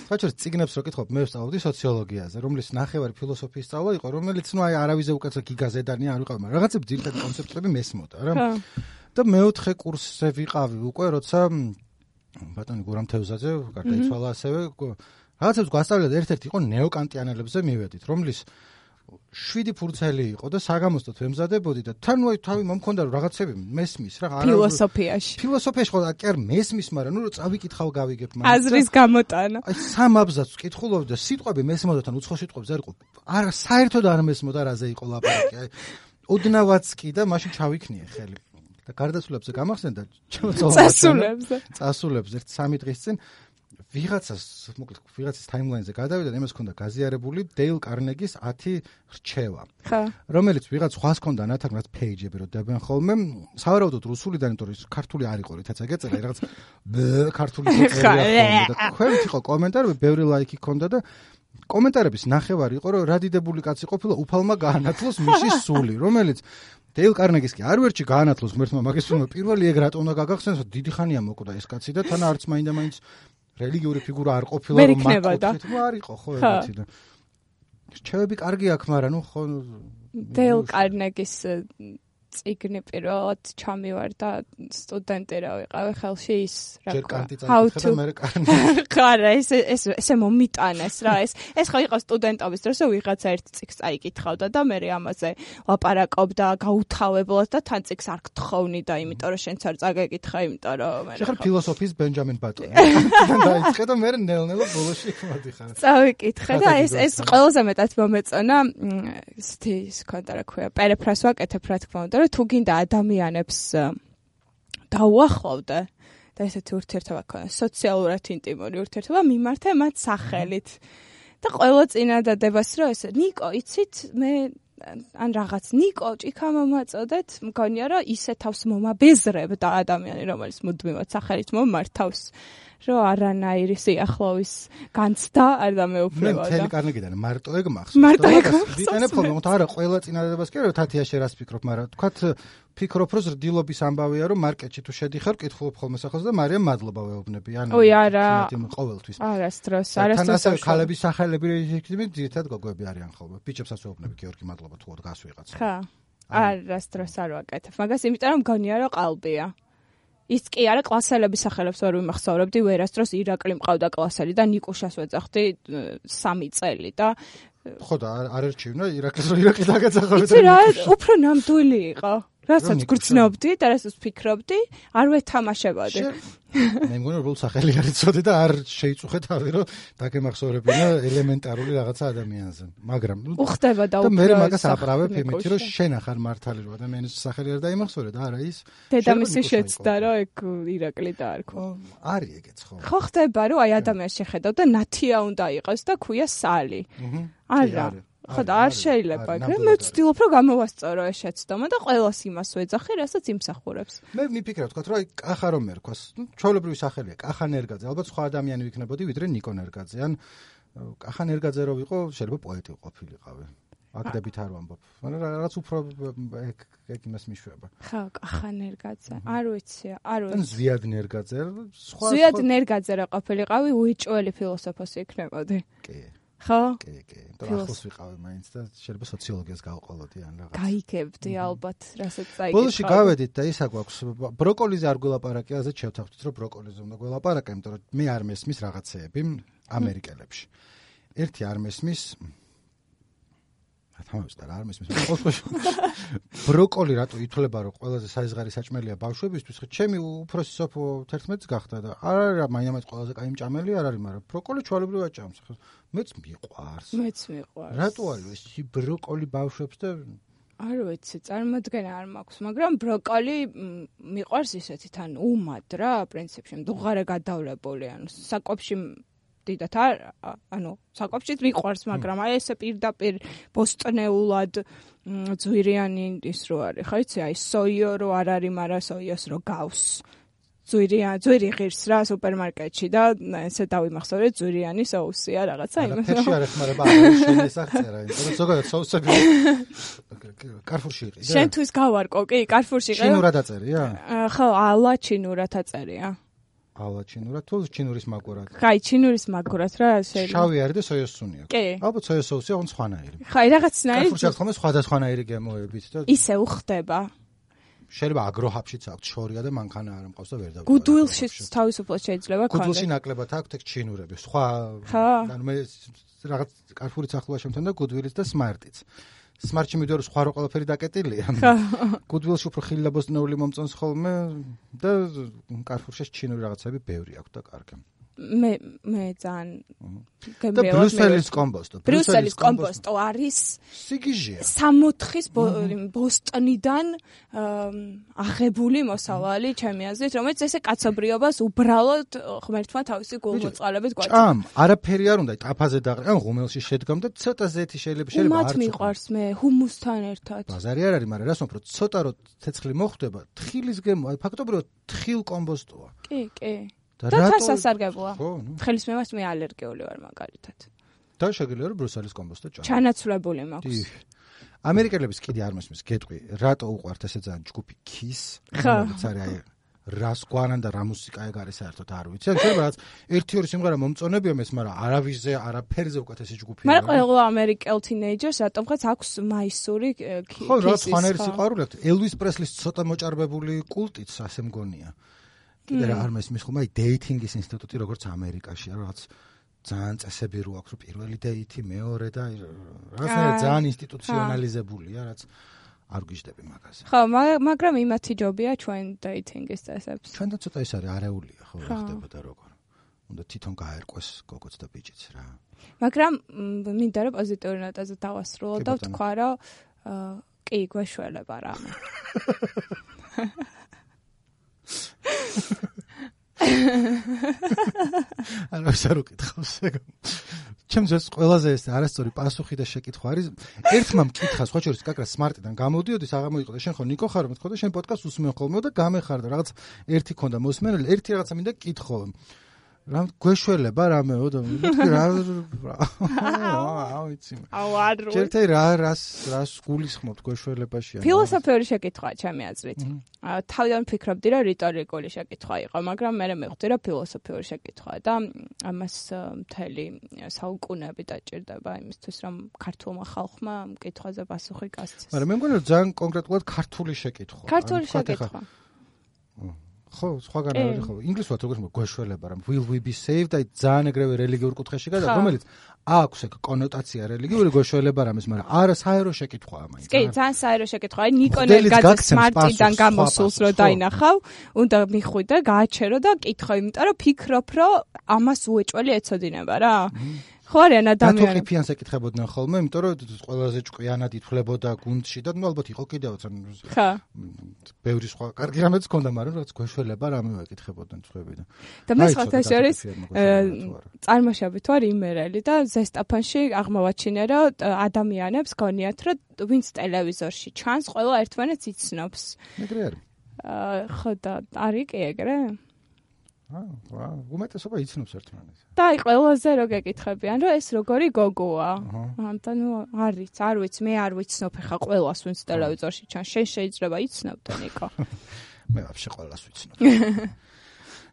საერთოდ წიგნებს რო კითხავ, მე ვსწავლობდი სოციოლოგიაზე, რომლის ნახევარი ფილოსოფიის სწავლა იყო, რომელიც ნუ აი არავიზე უკეცო გიგაზედანი არ ვიყავ, მაგრამ რაღაცები ძირითადი კონცეფტები მესმოდა რა. და მეოთხე კურსზე ვიყავი უკვე, როცა ბატონი გურამ თევზაძე გარდაიცვალა ასევე, რაღაცებს გვასწავლიდა და ერთ-ერთი იყო ნეოკანტიანელებზე მივედით, რომლის შვიდი ფურცელი იყო და საგამოსტოთ ვემზადებოდი და თან ვაი თავი მომქონდა რომ რაღაცები მესმის რა არა ფილოსოფიაში ფილოსოფიაში ხო კი არ მესმის მაგრამ ნუ რომ წავიკითხავ გავიგებ მაგრამ აზრის გამოტანა აი სამ აბზაცს ვკითხულობდი და სიტყვები მესმოდა თან უცხო სიტყვებს არ იყო არა საერთოდ არ მესმოდა რაზე იყო ლაპარაკი აი ოდნავაც კი და მაშინ ჩავიქნიე ხელი და გარდაცვლებზე გამახსენდა წასულებზე წასულებზე ერთ სამი დღის წინ ვიღაცას, მოკლედ, ვიღაცის ტაიმლაინზე გადავიდა და იმას ჰქონდა გაზიარებული დეილ კარნეგის ათი რჩევა. ხო. რომელიც ვიღაც სხვას ჰქონდა ნათარგმნად პეიჯები რო დებენ ხოლმე, სავარაუდოდ რუსულიდან, იმიტომ რომ ქართული არ იყო რითაც ეგეწერა, რაღაც ქართული წერია და ქვევით იყო კომენტარები, ბევრი ლაიქი ჰქონდა და კომენტარების ნახევარი იყო, რომ რა დიდებული კაცი ყოფილა, უფალმა გაანათლოს მისი სული, რომელიც დეილ კარნეგის კი არ ვერჩი გაანათლოს ღმერთმა მაგის სულმა პირველი ეგ რატომ უნდა გაგახსენოს, დიდი ხანია მოკვდა ეს კაცი და თან არც მაინდა მაინც რელიგიური ფიგურა არ ყოფილა რომ მაგ ხო არ იყო ხო ეგეთი და რჩევები კარგი აქვს მაგრამ ნუ ხო დეილ კარნეგის წიგნი პირველად ჩამივარ და სტუდენტი რა ვიყავი ხელში ის რა კანტი ამერიკანი ხარა ეს ეს ესე მომიტანეს რა ეს ეს ხო იყო სტუდენტობის დროს ვიღაცა ერთ წიგს წაიკითხავდა და მე ამაზე ლაპარაკობდა გაუთავებლად და თან წიგს არ გთხოვნი და იმიტომ რომ შენც არ წაგეკითხა იმიტომ რომ მე ხარ ფილოსოფიის ბენჯამინ ბატონი დაიწყე და მე ნელ-ნელა ბოლოში მოდიხარ წავიკითხე და ეს ეს ყველაზე მეტად მომეწონა ისეთი ის ქონდა რა ქვია პერეფრას ვაკეთებ რა თქმა უნდა რომ თუ გინდა ადამიანებს დაუახლოვდე და ესეთი ურთიერთობა ქონდა სოციალურად ინტიმური ურთიერთობა მიმართე მათ სახელით და ყველა წინადადებას რომ ეს ნიკო იცით მე ან რაღაც ნიკო ჭიქა მომაწოდეთ მგონია რომ ისე თავს მომაბეზრებ და ადამიანი რომელიც მუდმივად სახელით მომართავს რომ არანაირი სიახლოვის განცდა არ დამეუფლებოდა. მე მთელი კარნეგიდან მარტო ეგ მახსოვს. მარტო ეგ მახსოვს. ვიტანებ ხოლმე, თუმცა არა ყველა წინადადებას კი რომ თათია შე რას ფიქრობ, მაგრამ თქვათ ფიქრობ რომ ზრდილობის ამბავია რომ მარკეტში თუ შედიხარ, კითხულობ ხოლმე სახელს და მარიამ მადლობა ვეუბნები. ანუ ой არა. ყოველთვის. არასდროს, არასდროს. თან ასევე ქალების სახელები რეჟიმით ძირითადად გოგოები არიან ხოლმე. ბიჭებსაც ვეუბნები გიორგი მადლობა თუ დგას ვიღაც. ხა. არასდროს არ ვაკეთებ. მაგას იმიტომ რომ მგონია რომ ყალბია. ის კი არა კლასელების სახელებს ვერ ვიმახსოვრებდი ვერასდროს ირაკლი მყავდა კლასელი და ნიკუშას ვეძახდი სამი წელი და ხო და არ ერჩივნა ირაკლის რო ირაკლი დაგეძახავდა იცი რა უფრო ნამდვილი იყო რასაც გრძნობდი და რასაც ფიქრობდი არ ვეთამაშებოდი მე მგონი რომ სახელი არ იცოდი და არ შეიწუხე თავი რომ დაგემახსოვრებინა ელემენტარული რაღაცა ადამიანზე მაგრამ უხდება და უფრო და მე მაგას აправებ იმით რომ შენ ახარ მართალი რომ ადამიანის სახელი არ დაიმახსოვრე და არა ის დედამისი შეცდა რომ ეგ ირაკლი დაარქვა არის ეგეც ხო ხო ხდება რომ აი ადამიანს შეხედავ და ნათია უნდა იყოს და ქვია სალი არა ხო და არ შეიძლება ეგრე მე ვცდილობ რომ გამოვასწორო ეს შეცდომა და ყველას იმას ვეძახი რასაც იმსახურებს მე ვიფიქრებ თქვა რომ აი კახა რომ ერქვას ჩვეულებრივი სახელია კახა ნერგაძე ალბათ სხვა ადამიანი ვიქნებოდი ვიდრე ნიკო ნერგაძე ან კახა ნერგაძე რო ვიყო შეიძლება პოეტი ყოფილიყავი აკდებით არ ვამბობ მაგრამ რაღაც უფრო ეგ ეგ იმას მიშვება ხო კახა ნერგაძე არ ვიცი არ ვიცი ან ზვიად ნერგაძე სხვა ზვიად ნერგაძე რა ყოფილიყავი უეჭველი ფილოსოფოსი იქნებოდი კი ხო? კი, კი. და ახლოს ვიყავი მაინც და შეიძლება სოციოლოგიას გავყოლოდი ან რაღაც. გაიგებდი ალბათ, რასაც წაიგე. ბოლოში გავედით და ისა გვაქვს ბროკოლიზე არ გველაპარაკე, ასეთ შევთანხმდით რომ ბროკოლიზე უნდა გველაპარაკე, იმიტომ რომ მე არ მესმის რაღაცეები ამერიკელებში. ერთი არ მესმის თამაშს და არ მესმის. ბროკოლი რატო ითვლება რომ ყველაზე საიზღარი საჭმელია ბავშვებისთვის? ხო, ჩემი უფროსი სოფო თერთმეტს გახდა და არ არის მაინც ყველაზე კაი მჭამელი არ არის, მაგრამ ბროკოლი ჩვეულებრივ აჭამს. ხო, მეც მიყვარს. მეც მიყვარს. რატო არის ეს ბროკოლი ბავშვებს და არ ვიცი, წარმოდგენა არ მაქვს, მაგრამ ბროკოლი მიყვარს ისეთი თან უმად რა, პრინციპში, მდუღარე გადავლებული, ანუ საკვებში დიდათ არ ანუ საკვებშიც მიყვარს მაგრამ აი ესე პირდაპირ ბოსტნეულად ძვირიანი ის რო არის ხო იცი აი სოიო რო არ არის მაგრამ სოიოს რო გავს ძვირიან ძვირი ღირს რა სუპერმარკეტში და ესე დავიმახსოვრე ძვირიანი соуსია რაღაცა იმას ფერში არ ეხმარება არის შესახწერა იმიტომ ზოგადად соуსები კარფურში იყიდა შენთვის გავარკო კი კარფურში იყიდა ჩინურად აწერია ხო ალა ჩინურად აწერია ალა ჩინურად თუ ჩინურის მაგურად ხაი ჩინურის მაგურად რა შეიძლება შავი არის და სოიოს სუნი აქვს კი ალბათ სოიოს соуსი აღონ სხვანაირი ხაი რაღაცნაირი კარფურში ახლა სხვადასხვანაირი გემოებით და ისე უხდება შეიძლება აგროჰაბშიც აქვს შორია და მანქანა არ მყავს და ვერ დაგვიწყდება. გუდვილში თავისუფლად შეიძლება კონდეს. გუდვილში ნაკლებად აქვს ეგ ჩინურები. სხვა ანუ მე რაღაც კარფურის ახლოა შემთან და გუდვილიც და სმარტიც. სმარტში მიდიორო სხვა რო ყველაფერი დაკეტილია. გუდვილში უფრო ხილი და ბოსტნეული მომწონს ხოლმე და კარფურში ჩინური რაღაცები ბევრი აქვს და კარგი. მე მე ძალიან და ბრიუსელის კომბოსტო ბრიუსელის კომბოსტო არის სიგიჟია სამოთხის ბოსტონიდან აღებული მოსავალი ჩემი აზრით რომელიც ესე კაცობრიობას უბრალოდ ღმერთმა თავისი გულმოწყალებით გვაქვს ჭამ არაფერი არ უნდა ტაფაზე დაყრა ან ღუმელში შედგამ და ცოტა ზეთი შეიძლება შეიძლება არ მიყვარს მე ჰუმუსთან ერთად ბაზარი არ არის მაგრამ რას უფრო ცოტა რო ცეცხლი მოხვდება თხილის გემო აი ფაქტობრივად თხილ კომბოსტოა კი კი და თან სასარგებლოა. თხილის მემას მე ალერგიული ვარ მაგალითად. და შეგიძლია რომ ბრუსელის კომბოსტო ჭამ. ჩანაცვლებული მაქვს. ამერიკელების კიდე არ მოსმის გეტყვი, რატო უყვართ ესე ძალიან ჯგუფი Kiss? რომელიც არის აი რას გვანან და რა მუსიკა ეგ არის საერთოდ არ ვიცი. ან შეიძლება რაც ერთი ორი სიმღერა მომწონებია მეს, მაგრამ არავისზე, არაფერზე უკეთესი ჯგუფია. მაგრამ ყველა ამერიკელ თინეიჯერს რატომღაც აქვს მაისური კისის. ხო, რა ფანერის სიყვარული აქვს. ელვის პრესლის ცოტა მოჭარბებული კულტიც ასე მგონია. კიდე რა არ მესმის ხომ აი დეითინგის ინსტიტუტი როგორც ამერიკაში, რაღაც ძალიან წესები რო აქვს, რომ პირველი დეითი, მეორე და რაღაცნაირად ძალიან ინსტიტუციონალიზებულია, რაც არ გიждები მაგაზე. ხო, მაგრამ იმათი ჯობია ჩვენ დეითინგის წესებს. ჩვენთან ცოტა ის არის არეულია, ხო, რა ხდებოდა როგორ. უნდა თვითონ გაერკვეს გოგოც და ბიჭიც რა. მაგრამ მინდა რომ პოზიტიური ნოტაზე დავასრულო და ვთქვა, რომ კი, გვეშველება რამე. არა ვსარო კითხავს ეგ. ჩემს ეს ყველაზე ეს არასწორი პასუხი და შეკითხვა არის. ერთმა მკითხა სხვა შორის კაკრა სმარტიდან გამოდიოდი, აღმოიყო და შენ ხო ნიკო ხარ, მეთქო და შენ პოდკასტს უსმენ ხოლმე და გამეხარდა რაღაც ერთი ქონდა მოსმენელი, ერთი რაღაცა მინდა კითხო. რა გვეშველება რამეო და რა აუ იცი. აუ არ რო. ჯერტე რა რას რას გულისხმობთ გვეშველებაში? ფილოსოფიური შეკითხვაა ჩემი აზრით. თავიდან ფიქრობდი რომ რიტორიკული შეკითხვა იყო, მაგრამ მე მივხვდი რომ ფილოსოფიური შეკითხვაა და ამას მთელი საუკუნეები დაჭირდება იმისთვის რომ ქართულმა ხალხმა მკითხვაზე პასუხი გასცეს. მაგრამ მე მგონი რომ ძალიან კონკრეტულად ქართული შეკითხვა. ქართული შეკითხვა. ხო, სხვაგან არის ხო. ინგლისურად როგორც გვეშველება რომ will we be saved აი ძალიან ეგრევე რელიგიურ კუთხეში გადა, რომელიც აქვს ეგ კონოტაცია რელიგიური გვეშველება რამეს, მაგრამ არა საერო შეკითხვაა მაინც. კი, ძალიან საერო შეკითხვაა. ნიკონელ გაძე სმარტიდან გამოსულს რო დაინახავ, უნდა მიხვიდე, გააჩერო და კითხო, იმიტომ რომ ფიქრობ, რომ ამას უეჭველი ეცოდინება რა. ხო არიან ადამიანები. რატო ყიფიანს ეკითხებოდნენ ხოლმე, იმიტომ რომ ყველაზე ჭკვიანად ითვლებოდა გუნდში და ნუ ალბათ იყო კიდევაც ან ხა. ბევრი სხვა კარგი რამეც ჰქონდა, მაგრამ რაც გვეშველება რამე ეკითხებოდნენ წვებიდან. და მე სხვათა შორის წარმოშობით ვარ იმერელი და ზესტაფონში აღმოვაჩინე, რომ ადამიანებს გონიათ, რომ ვინც ტელევიზორში ჩანს, ყველა ერთმანეთს იცნობს. ეგრე არის. ხო და არის კი ეგრე? აა, უმეტესობა იცნობს ერთმანეთს. და აი ყველაზე რო გეკითხებიან, რომ ეს როგორი გოგოა. ანტა ნუ არის, არ ვიცი, მე არ ვიცნობ ხა ყველას ვინც ტელევიზორში ჩანს. შენ შეიძლება იცნობდე ნიკო. მე ვაფშე ყველას ვიცნობ.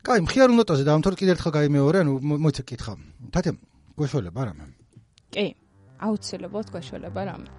კაი, მხიარულ ნოტაზე დავამთავრეთ, კიდევ ერთხელ გაიმეორე, ანუ მოიცა კითხა. თათე, გვეშველება რამე? კი, აუცილებლად გვეშველება რამე.